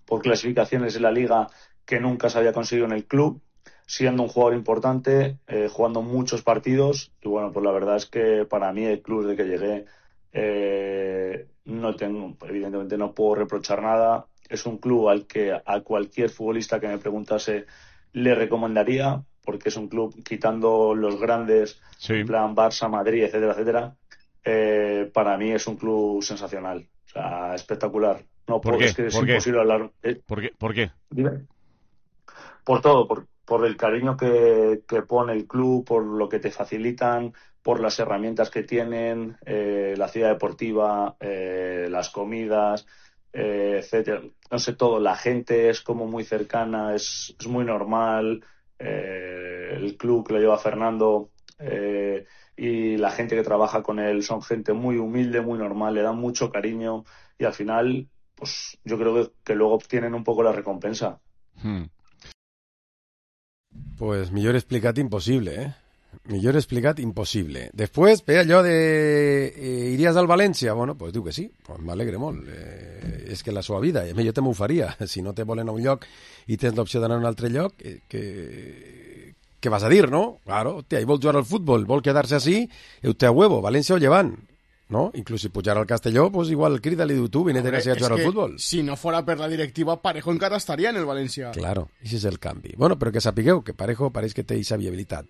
por clasificaciones de la Liga que nunca se había conseguido en el club, siendo un jugador importante, jugando muchos partidos. Y bueno, pues la verdad es que para mí el club desde que llegué evidentemente no puedo reprochar nada. Es un club al que a cualquier futbolista que me preguntase le recomendaría, porque es un club, quitando los grandes, en plan Barça, Madrid, etcétera, etcétera, para mí es un club sensacional, o sea, espectacular. No, ¿Por qué? Es que es imposible hablar. ¿Por qué? Dime. Por todo, por el cariño que pone el club, por lo que te facilitan, por las herramientas que tienen, la ciudad deportiva, las comidas, etcétera. No sé, todo. La gente es como muy cercana, es muy normal. El club que lo lleva Fernando y la gente que trabaja con él son gente muy humilde, muy normal, le dan mucho cariño y al final, pues yo creo que luego obtienen un poco la recompensa. Pues millor explicat impossible, Millor explicat impossible. Després, per allò de iries al València? Bueno, pues diu que sí, pues m'alegre molt. És que la seva vida, jo també ho faria. Si no te volen a un lloc i tens l'opció d'anar a un altre lloc, què vas a dir, no? Claro, hòstia, ell vol jugar al futbol, vol quedar-se així, té a huevo, València o Llevant. ¿No? Incluso si pujar al Castelló, pues igual crida-li diu tu, vine a jugar al fútbol. Si no fuera per la directiva, Parejo encara estaria en el València. Claro, ese és el canvi. Bueno, però que sapigueu que Parejo pareix que té aquesta viabilitat.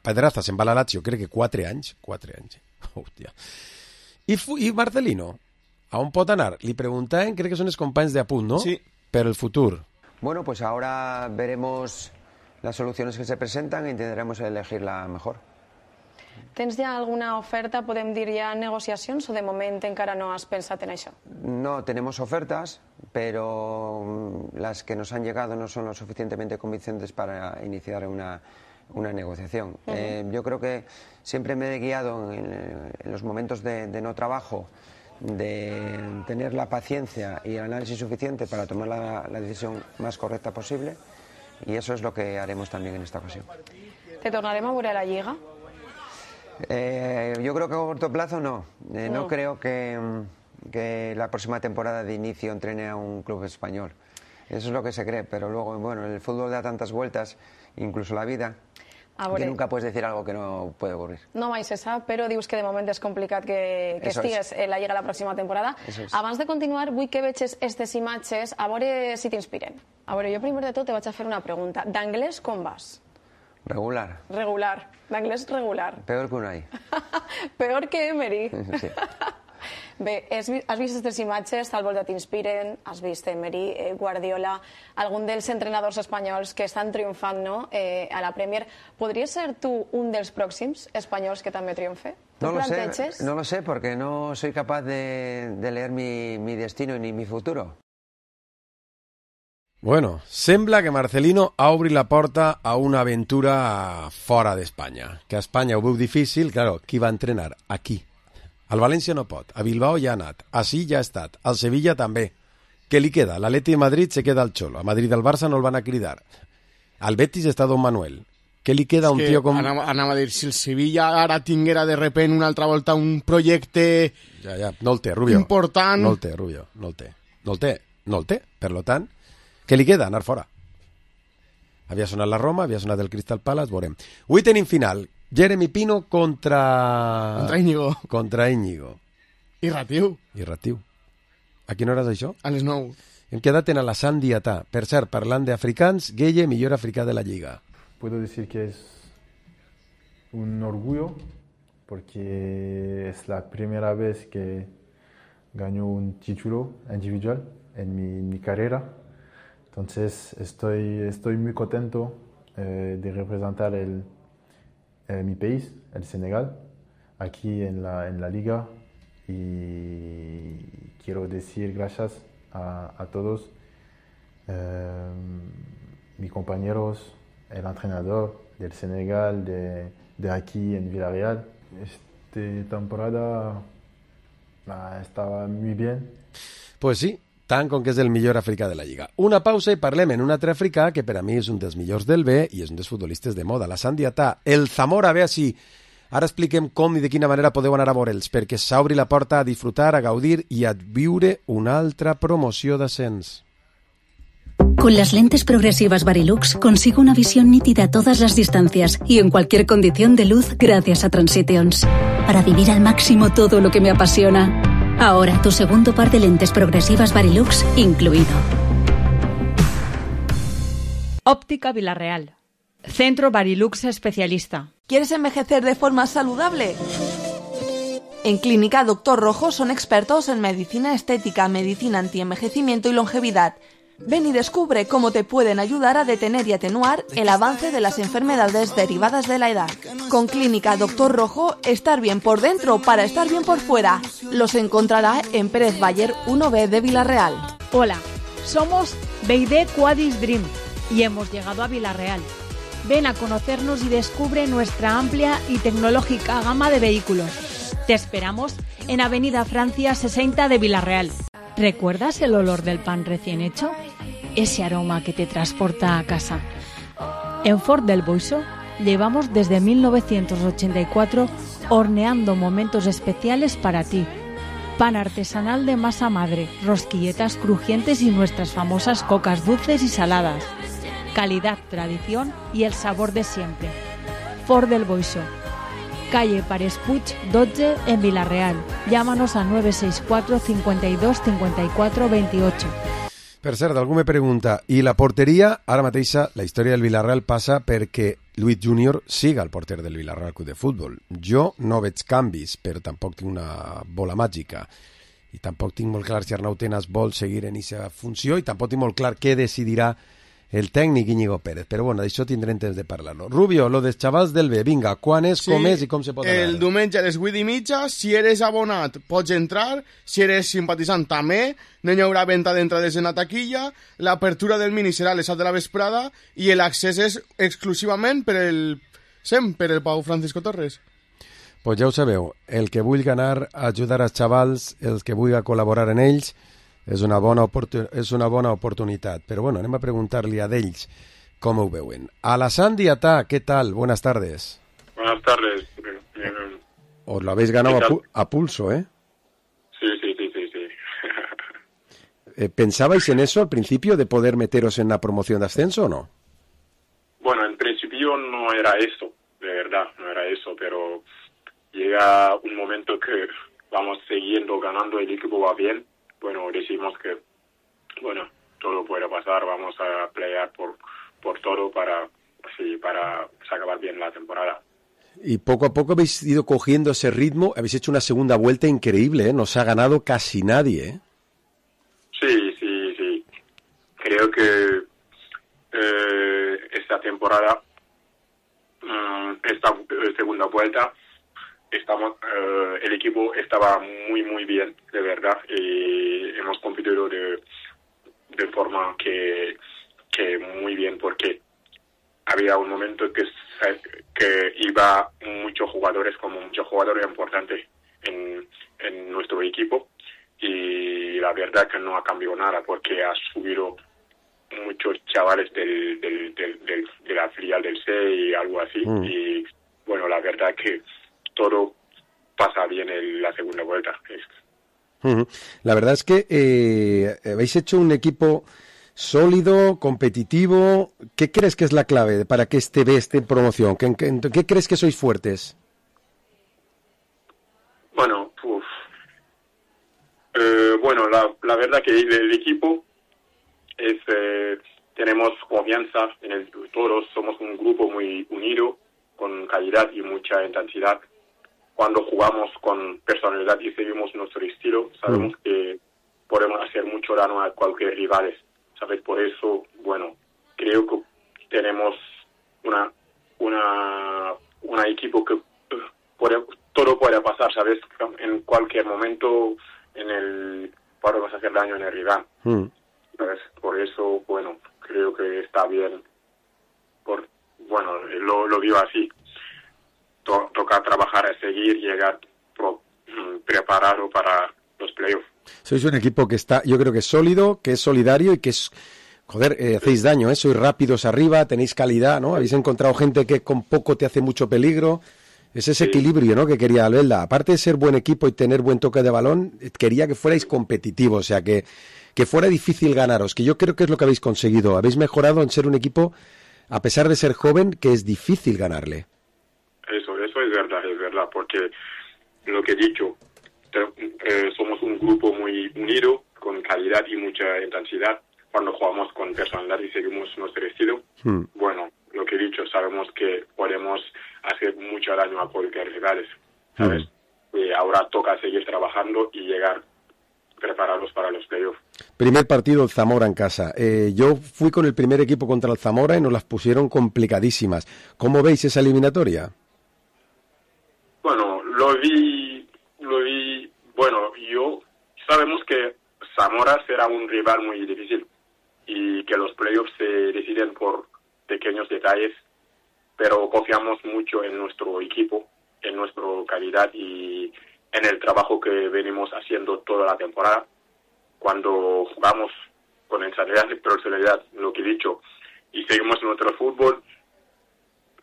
Pedraza se'n va a la Lazio, crec que 4 anys. 4 anys. Hòstia. I Marcelino, a on pot anar? Li preguntaven, crec que són els companys d'Apunt, ¿no? Sí. Per el futur. Bueno, pues ahora veremos las soluciones que se presentan e intentaremos elegir la mejor. Tens ja alguna oferta, podem dir ja negociacions, o de moment encara no has pensat en això? No, tenemos ofertas, pero las que nos han llegado no son lo suficientemente convincentes para iniciar una negociación. Yo creo que siempre me he guiado en los momentos de no trabajo, de tener la paciencia y el análisis suficiente para tomar la decisión más correcta posible, y eso es lo que haremos también en esta ocasión. Te tornarem a veure a la Lliga? Yo creo que a corto plazo no. No creo que la próxima temporada de inicio entrene a un club español. Eso es lo que se cree, pero luego, bueno, el fútbol da tantas vueltas, incluso la vida, que nunca puedes decir algo que no puede ocurrir. No mai se sap, però dius que de moment és complicat que estigues en la Lliga la pròxima temporada. Abans de continuar, vull que veges aquestes imatges, a veure si t'inspiren. A veure, jo primer de tot te vaig a fer una pregunta. D'anglès com vas? Regular. Regular. D'anglès regular. Peor que Unai. Peor que Emery. Sí. Bé, has vist aquestes imatges, tal volta t'inspiren, has vist Emery, Guardiola, algun dels entrenadors espanyols que estan triomfant, no?, a la Premier. ¿Podries ser tu un dels pròxims espanyols que també triomfe? No lo sé, porque no soy capaz de leer mi destino ni mi futuro. Bueno, sembla que Marcelino ha obrit la porta a una aventura fora d'Espanya. Que a Espanya ho veu difícil, claro, qui va entrenar? Aquí. Al València no pot, a Bilbao ja ha anat, a sí ja ha estat, al Sevilla també. Què li queda? L'Atleti de Madrid se queda al Xolo, a Madrid del Barça no el van a cridar. Al Betis està Don Manuel. Què li queda a un tio com... Anava a dir, si el Sevilla ara tinguera de repent una altra volta un projecte... Ja, no el té, Rubio. Important... No el té, Rubio, no el té. Per lo tant, què li queda? Anar fora. Havia sonat la Roma, havia sonat el Crystal Palace, veurem. Avui tenim final. Jeremy Pino contra Íñigo. Irratiu. A quina hora és això? A les 9. Hem quedat en la Sant Diatà. Per cert, parlant d'africans, Gueye, millor africà de la Lliga. Puedo decir que es un orgullo porque es la primera vez que gano un título individual en mi carrera. Entonces estoy muy contento de representar mi país, el Senegal, aquí en la liga, y quiero decir gracias a todos, mis compañeros, el entrenador del Senegal, de aquí en Villarreal. Esta temporada estaba muy bien. Pues sí, tant com que és el millor africà de la Lliga. Una pausa i parlem en un altre africà que per a mi és un dels millors del B i és un dels futbolistes de moda, la Sant Diatà, el Zamora. A veure si ara expliquem com i de quina manera podeu anar a veure'ls, perquè s'obri la porta a disfrutar, a gaudir i a viure una altra promoció d'ascens. Con las lentes progresivas Varilux consigo una visión nítida a todas las distancias y en cualquier condición de luz gracias a Transitions, para vivir al máximo todo lo que me apasiona. Ahora tu segundo par de lentes progresivas Varilux incluido. Óptica Villarreal. Centro Varilux especialista. ¿Quieres envejecer de forma saludable? En Clínica Doctor Rojo son expertos en medicina estética, medicina antienvejecimiento y longevidad. Ven y descubre cómo te pueden ayudar a detener y atenuar el avance de las enfermedades derivadas de la edad. Con Clínica Doctor Rojo, estar bien por dentro para estar bien por fuera. Los encontrará en Pérez Bayer 1B de Villarreal. Hola, somos BYD Quadis Dream y hemos llegado a Villarreal. Ven a conocernos y descubre nuestra amplia y tecnológica gama de vehículos. Te esperamos en Avenida Francia 60 de Villarreal. ¿Recuerdas el olor del pan recién hecho? Ese aroma que te transporta a casa. En Ford del Boixo llevamos desde 1984 horneando momentos especiales para ti. Pan artesanal de masa madre, rosquilletas crujientes y nuestras famosas cocas dulces y saladas. Calidad, tradición y el sabor de siempre. Ford del Boixo. Calle Pares Puig 12 en Villarreal. Llámanos a 964 52 54 28. Per cert, algú me pregunta, i la porteria? Ara mateixa la història del Villarreal passa perquè Luis Junior siga el porter del Villarreal Club de Futbol. Jo no veig canvis, però tampoc tinc una bola màgica. I tampoc tinc molt clar si Arnau Tenas vol seguir en aquesta funció i tampoc tinc molt clar què decidirà el tècnic Íñigo Pérez. Però bueno, d'això tindrem temps de parlar-lo. Rubio, lo dels xavals del B, vinga, quan és, com és i com se pot anar? El diumenge a les 8:30, si eres abonat pots entrar, si eres simpatitzant també, no hi haurà venda d'entrades en la taquilla, l'apertura del mini serà a les 7 de la vesprada i l'accés és exclusivament per el Pau Francisco Torres. Pues ja ho sabeu, el que vulgui anar a ajudar als xavals, el que vulgui col·laborar en ells, és una bona oportunitat. Però bueno, anem a preguntar-li a d'ells com ho veuen. Alassane Diatà, ¿qué tal? Buenas tardes. Buenas tardes. Os lo habéis ganado a pulso, ¿eh? Sí. ¿Pensabais en eso al principio, de poder meteros en la promoción de ascenso o no? Bueno, en principio no era eso, de verdad, no era eso, pero llega un momento que vamos siguiendo ganando, el equipo va bien. Bueno, decimos que, bueno, todo puede pasar, vamos a pelear por todo para acabar bien la temporada. Y poco a poco habéis ido cogiendo ese ritmo, habéis hecho una segunda vuelta increíble, ¿eh? No os ha ganado casi nadie, ¿eh? Sí. Creo que esta temporada, esta segunda vuelta, el equipo estaba muy bien, de verdad, y hemos competido de forma que muy bien, porque había un momento que iba muchos jugadores importantes en nuestro equipo, y la verdad que no ha cambiado nada, porque ha subido muchos chavales de la filial del C y algo así, y bueno, la verdad que todo pasa bien en la segunda vuelta. La verdad es que habéis hecho un equipo sólido, competitivo. ¿Qué crees que es la clave para que esté en promoción? ¿Qué crees que sois fuertes? Bueno, la verdad que el equipo es tenemos confianza en todos, somos un grupo muy unido, con calidad y mucha intensidad. Cuando jugamos con personalidad y seguimos nuestro estilo, sabemos que podemos hacer mucho daño a cualquier rival, ¿sabes? Por eso, bueno, creo que tenemos una equipo que todo puede pasar, ¿sabes? En cualquier momento podemos hacer daño en el rival, ¿sabes? Por eso, bueno, creo que está bien. Lo vio así. Toca trabajar a seguir, llegar preparado para los playoffs. Sois un equipo que está, yo creo que es sólido, que es solidario y que es, hacéis daño, ¿eh? Sois rápidos arriba, tenéis calidad, ¿no? Habéis encontrado gente que con poco te hace mucho peligro. Es ese equilibrio, ¿no?, que quería Albelda. Aparte de ser buen equipo y tener buen toque de balón, quería que fuerais competitivos, o sea, que fuera difícil ganaros, que yo creo que es lo que habéis conseguido. Habéis mejorado en ser un equipo, a pesar de ser joven, que es difícil ganarle. Eso es verdad, porque lo que he dicho, somos un grupo muy unido, con calidad y mucha intensidad. Cuando jugamos con personalidad y seguimos nuestro estilo, bueno, lo que he dicho, sabemos que podemos hacer mucho daño a cualquier rivales, ¿sabes? Y ahora toca seguir trabajando y llegar preparados para los playoffs. Primer partido, el Zamora en casa. Yo fui con el primer equipo contra el Zamora y nos las pusieron complicadísimas. ¿Cómo veis esa eliminatoria? Bueno, lo vi, bueno, sabemos que Zamora será un rival muy difícil y que los playoffs se deciden por pequeños detalles, pero confiamos mucho en nuestro equipo, en nuestra calidad y en el trabajo que venimos haciendo toda la temporada. Cuando jugamos con personalidad, lo que he dicho, y seguimos nuestro fútbol,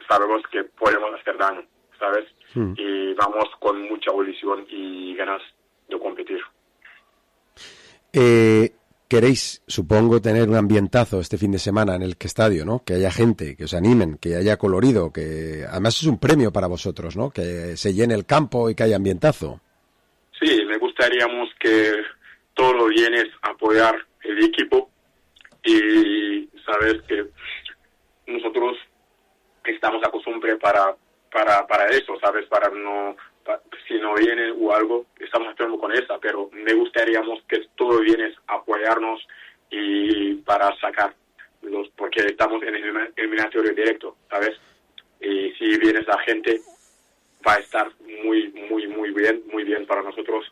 sabemos que podemos hacer daño, ¿sabes? Y vamos con mucha ilusión y ganas de competir. Queréis, supongo, tener un ambientazo este fin de semana en el estadio, ¿no? Que haya gente, que os animen, que haya colorido, que además es un premio para vosotros, ¿no? Que se llene el campo y que haya ambientazo. Sí, me gustaría que todos los bienes apoyar el equipo y saber que nosotros estamos acostumbrados para eso, ¿sabes? Si no viene o algo, estamos esperando con esa, pero me gustaría que todo viene a apoyarnos y para sacar porque estamos en el eliminatorio directo, ¿sabes? Y si viene esa gente, va a estar muy bien para nosotros.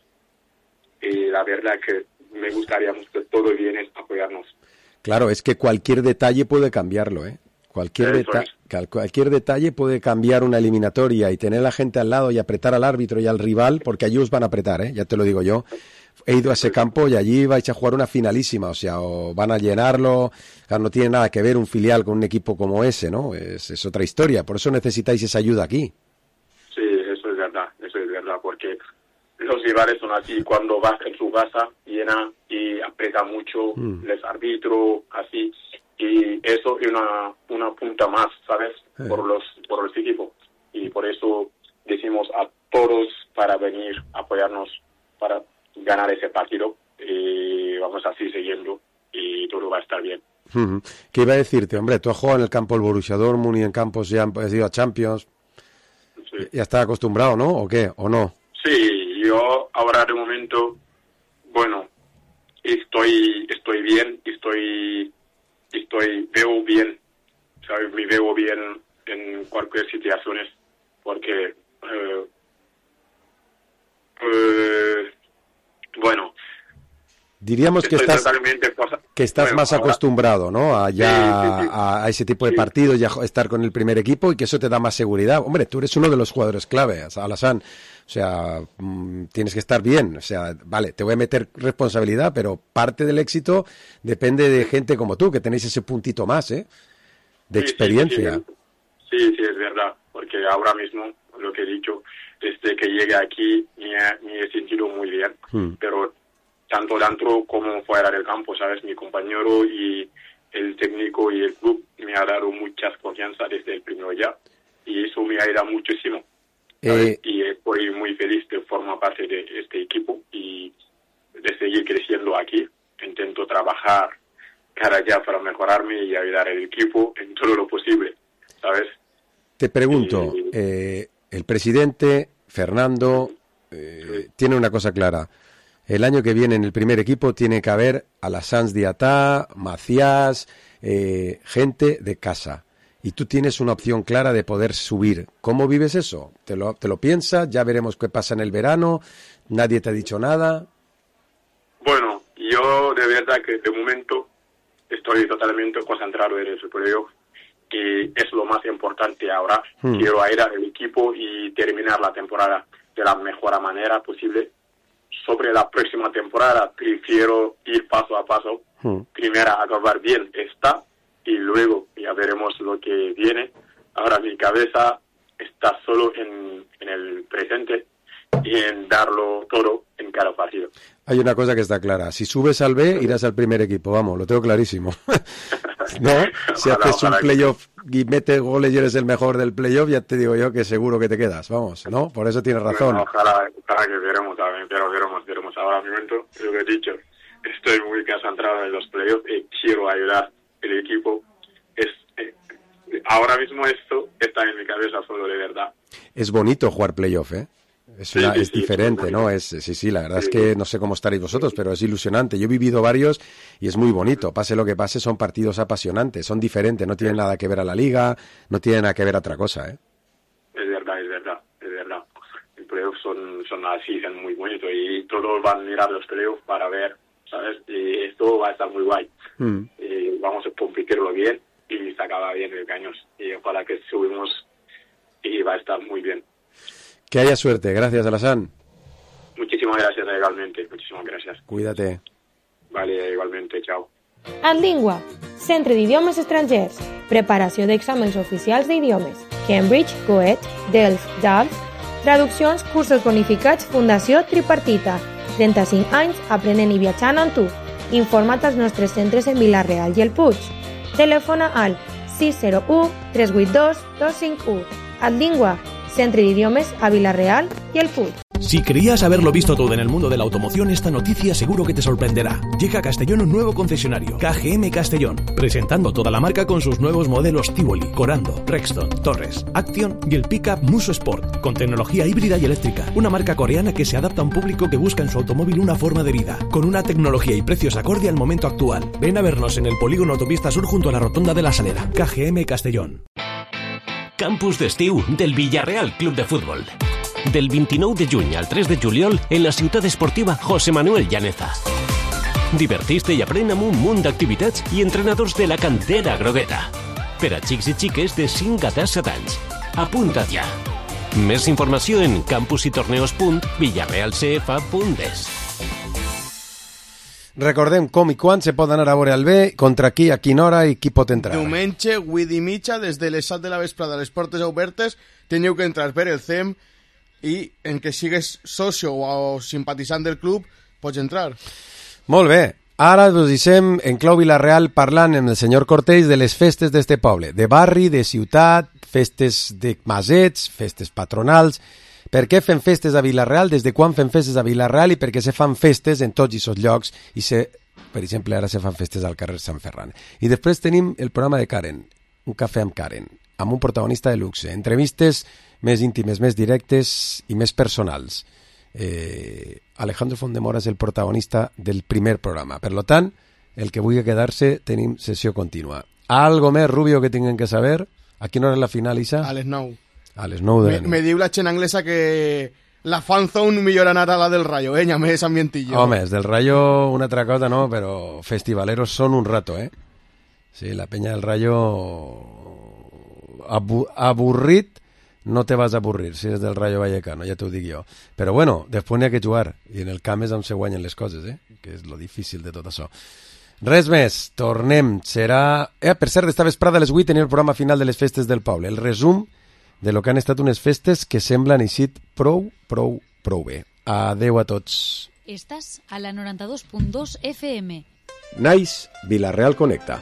Y la verdad que me gustaría que todo viene a apoyarnos. Claro, es que cualquier detalle puede cambiarlo, ¿eh? Cualquier detalle puede cambiar una eliminatoria y tener a la gente al lado y apretar al árbitro y al rival, porque allí os van a apretar, ya te lo digo yo. He ido a ese campo y allí vais a jugar una finalísima, o sea, o van a llenarlo. Claro, no tiene nada que ver un filial con un equipo como ese, ¿no? Es otra historia, por eso necesitáis esa ayuda aquí. Sí, eso es verdad, porque los rivales son así, cuando vas en su casa, llena y aprieta mucho, les árbitro, así. Y eso es una punta más, ¿sabes? Por los equipos. Y por eso decimos a todos para venir a apoyarnos para ganar ese partido. Y vamos así siguiendo y todo va a estar bien. ¿Qué iba a decirte? Hombre, tú has jugado en el campo del Borussia Dortmund y en campos ya has ido a Champions. Sí. Ya estás acostumbrado, ¿no? ¿O qué? ¿O no? Sí, yo ahora de momento, bueno, estoy bien, veo bien, ¿sabes? Me veo bien en cualquier situación, porque, bueno, diríamos que estás más acostumbrado, ¿no? A ese tipo de partidos y a estar con el primer equipo y que eso te da más seguridad. Hombre, tú eres uno de los jugadores clave, Alassane. O sea, tienes que estar bien. O sea, vale, te voy a meter responsabilidad, pero parte del éxito depende de gente como tú, que tenéis ese puntito más, de experiencia. Sí, es verdad, porque ahora mismo, lo que he dicho, desde que llegué aquí me he sentido muy bien, pero tanto dentro como fuera del campo, ¿sabes? Mi compañero y el técnico y el club me ha dado muchas confianza desde el primer día y eso me ayuda muchísimo. Y estoy muy feliz de formar parte de este equipo y de seguir creciendo aquí. Intento trabajar cada día para mejorarme y ayudar al equipo en todo lo posible, ¿sabes? Te pregunto, el presidente, Fernando, tiene una cosa clara. El año que viene en el primer equipo tiene que haber Alassane Diatta, Macias, gente de casa. Y tú tienes una opción clara de poder subir. ¿Cómo vives eso? ¿Te lo piensas? ¿Ya veremos qué pasa en el verano? ¿Nadie te ha dicho nada? Bueno, yo de verdad que de momento estoy totalmente concentrado en el playoff y es lo más importante ahora. Quiero ayudar al equipo y terminar la temporada de la mejor manera posible. Sobre la próxima temporada prefiero ir paso a paso. Primero acabar bien esta y luego ya veremos lo que viene. Ahora mi cabeza está solo en el presente y en darlo todo en cada partido. Hay una cosa que está clara. Si subes al B, irás al primer equipo. Vamos, lo tengo clarísimo. ¿No? Si haces un playoff y metes goles y eres el mejor del playoff, ya te digo yo que seguro que te quedas. Vamos, ¿no? Por eso tienes razón. Bueno, ojalá que veremos también, pero veremos. Ahora mi momento, lo que he dicho, estoy muy concentrado en los playoffs y quiero ayudar al equipo. Ahora mismo esto está en mi cabeza solo, de verdad. Es bonito jugar playoff, ¿eh? Es diferente, ¿no? La verdad es que no sé cómo estaréis vosotros, pero es ilusionante. Yo he vivido varios y es muy bonito. Pase lo que pase, son partidos apasionantes, son diferentes, no tienen nada que ver a la liga, no tienen nada que ver a otra cosa, ¿eh? Es verdad. Los playoffs son así, son muy bonitos y todos van a mirar los playoffs para ver, ¿sabes? Y esto va a estar muy guay. Y vamos a competirlo bien y se acaba bien el cañón. Y ojalá que subimos y va a estar muy bien. Que haya suerte. Gracias, Alassane. Muchísimas gracias, igualmente. Muchísimas gracias. Cuídate. Vale, igualmente. Chao. Adlingua, Centre d'Idiomes Estrangers. Preparació d'exàmens oficials d'idiomes. Cambridge, Goethe, Delft, DALF. Traduccions, cursos bonificats, Fundació Tripartita. 35 anys aprenent i viatjant amb tu. Informa't als nostres centres en Vila-real i el Puig. Telefona al 601 382 251. Adlingua, Centre d'Idiomes a Vila-real i el Puig. Si creías haberlo visto todo en el mundo de la automoción, esta noticia seguro que te sorprenderá. Llega a Castellón un nuevo concesionario, KGM Castellón, presentando toda la marca con sus nuevos modelos Tivoli, Corando, Rexton, Torres, Action y el pickup Muso Sport, con tecnología híbrida y eléctrica. Una marca coreana que se adapta a un público que busca en su automóvil una forma de vida, con una tecnología y precios acorde al momento actual. Ven a vernos en el polígono Autopista Sur junto a la Rotonda de la Salera. KGM Castellón. Campus d'estiu del Villarreal Club de Futbol. Del 29 de juny al 3 de juliol en la ciutat esportiva José Manuel Llaneza. Divertís-te i aprèn amb un munt d'activitats i entrenadors de la cantera grogueta. Per a xics i xiques de 5 a 17 anys. Apunta't ja. Més informació en campusitorneos.villarrealcf.es. Recordem com i quan se pot anar a veure el B, contra qui, a quina hora i qui pot entrar. Diumenge, 8:30, des de les 7 de la vesprada, les portes obertes, teniu que entrar per el CEM i en que sigues socio o simpatitzant del club, pots entrar. Molt bé. Ara us deixem en Clau Vilareal parlant amb el senyor Cortells de les festes d'este poble, de barri, de ciutat, festes de masets, festes patronals. Per què fem festes a Vilareal, des de quan fem festes a Vilareal i per què se fan festes en tots aquests llocs i per exemple, ara se fan festes al carrer Sant Ferran. I després tenim el programa de Karen, un cafè amb Karen, amb un protagonista de luxe, entrevistes més íntimes, més directes i més personals. Alejandro Fondemora és el protagonista del primer programa. Per tant, el que vulgui quedar-se, tenim sessió contínua. Algo més, Rubio, que tinguem que saber? A quina hora és la final, Isa? A les 9. A les 9 de la nit. Me diu la gent anglesa que la fanzone millor anar a la del Rayo, més ambientillo. Home, és del Rayo una altra cosa, no, però festivaleros són un rato, Sí, la penya del Rayo avorrit, no te vas a avorrir si és del Rayo Vallecano, ja t'ho dic jo. Però bueno, després n'hi ha que jugar, i en el camp és on se guanyen les coses, que és lo difícil de tot això. Res més, tornem, serà... per cert, esta vesprada a les 8 tenim el programa final de les festes del poble, el resum de lo que han estat unes festes que semblen eixit prou bé. Adeu a tots. Estàs a la 92.2 FM. Nice, Vilareal Connecta.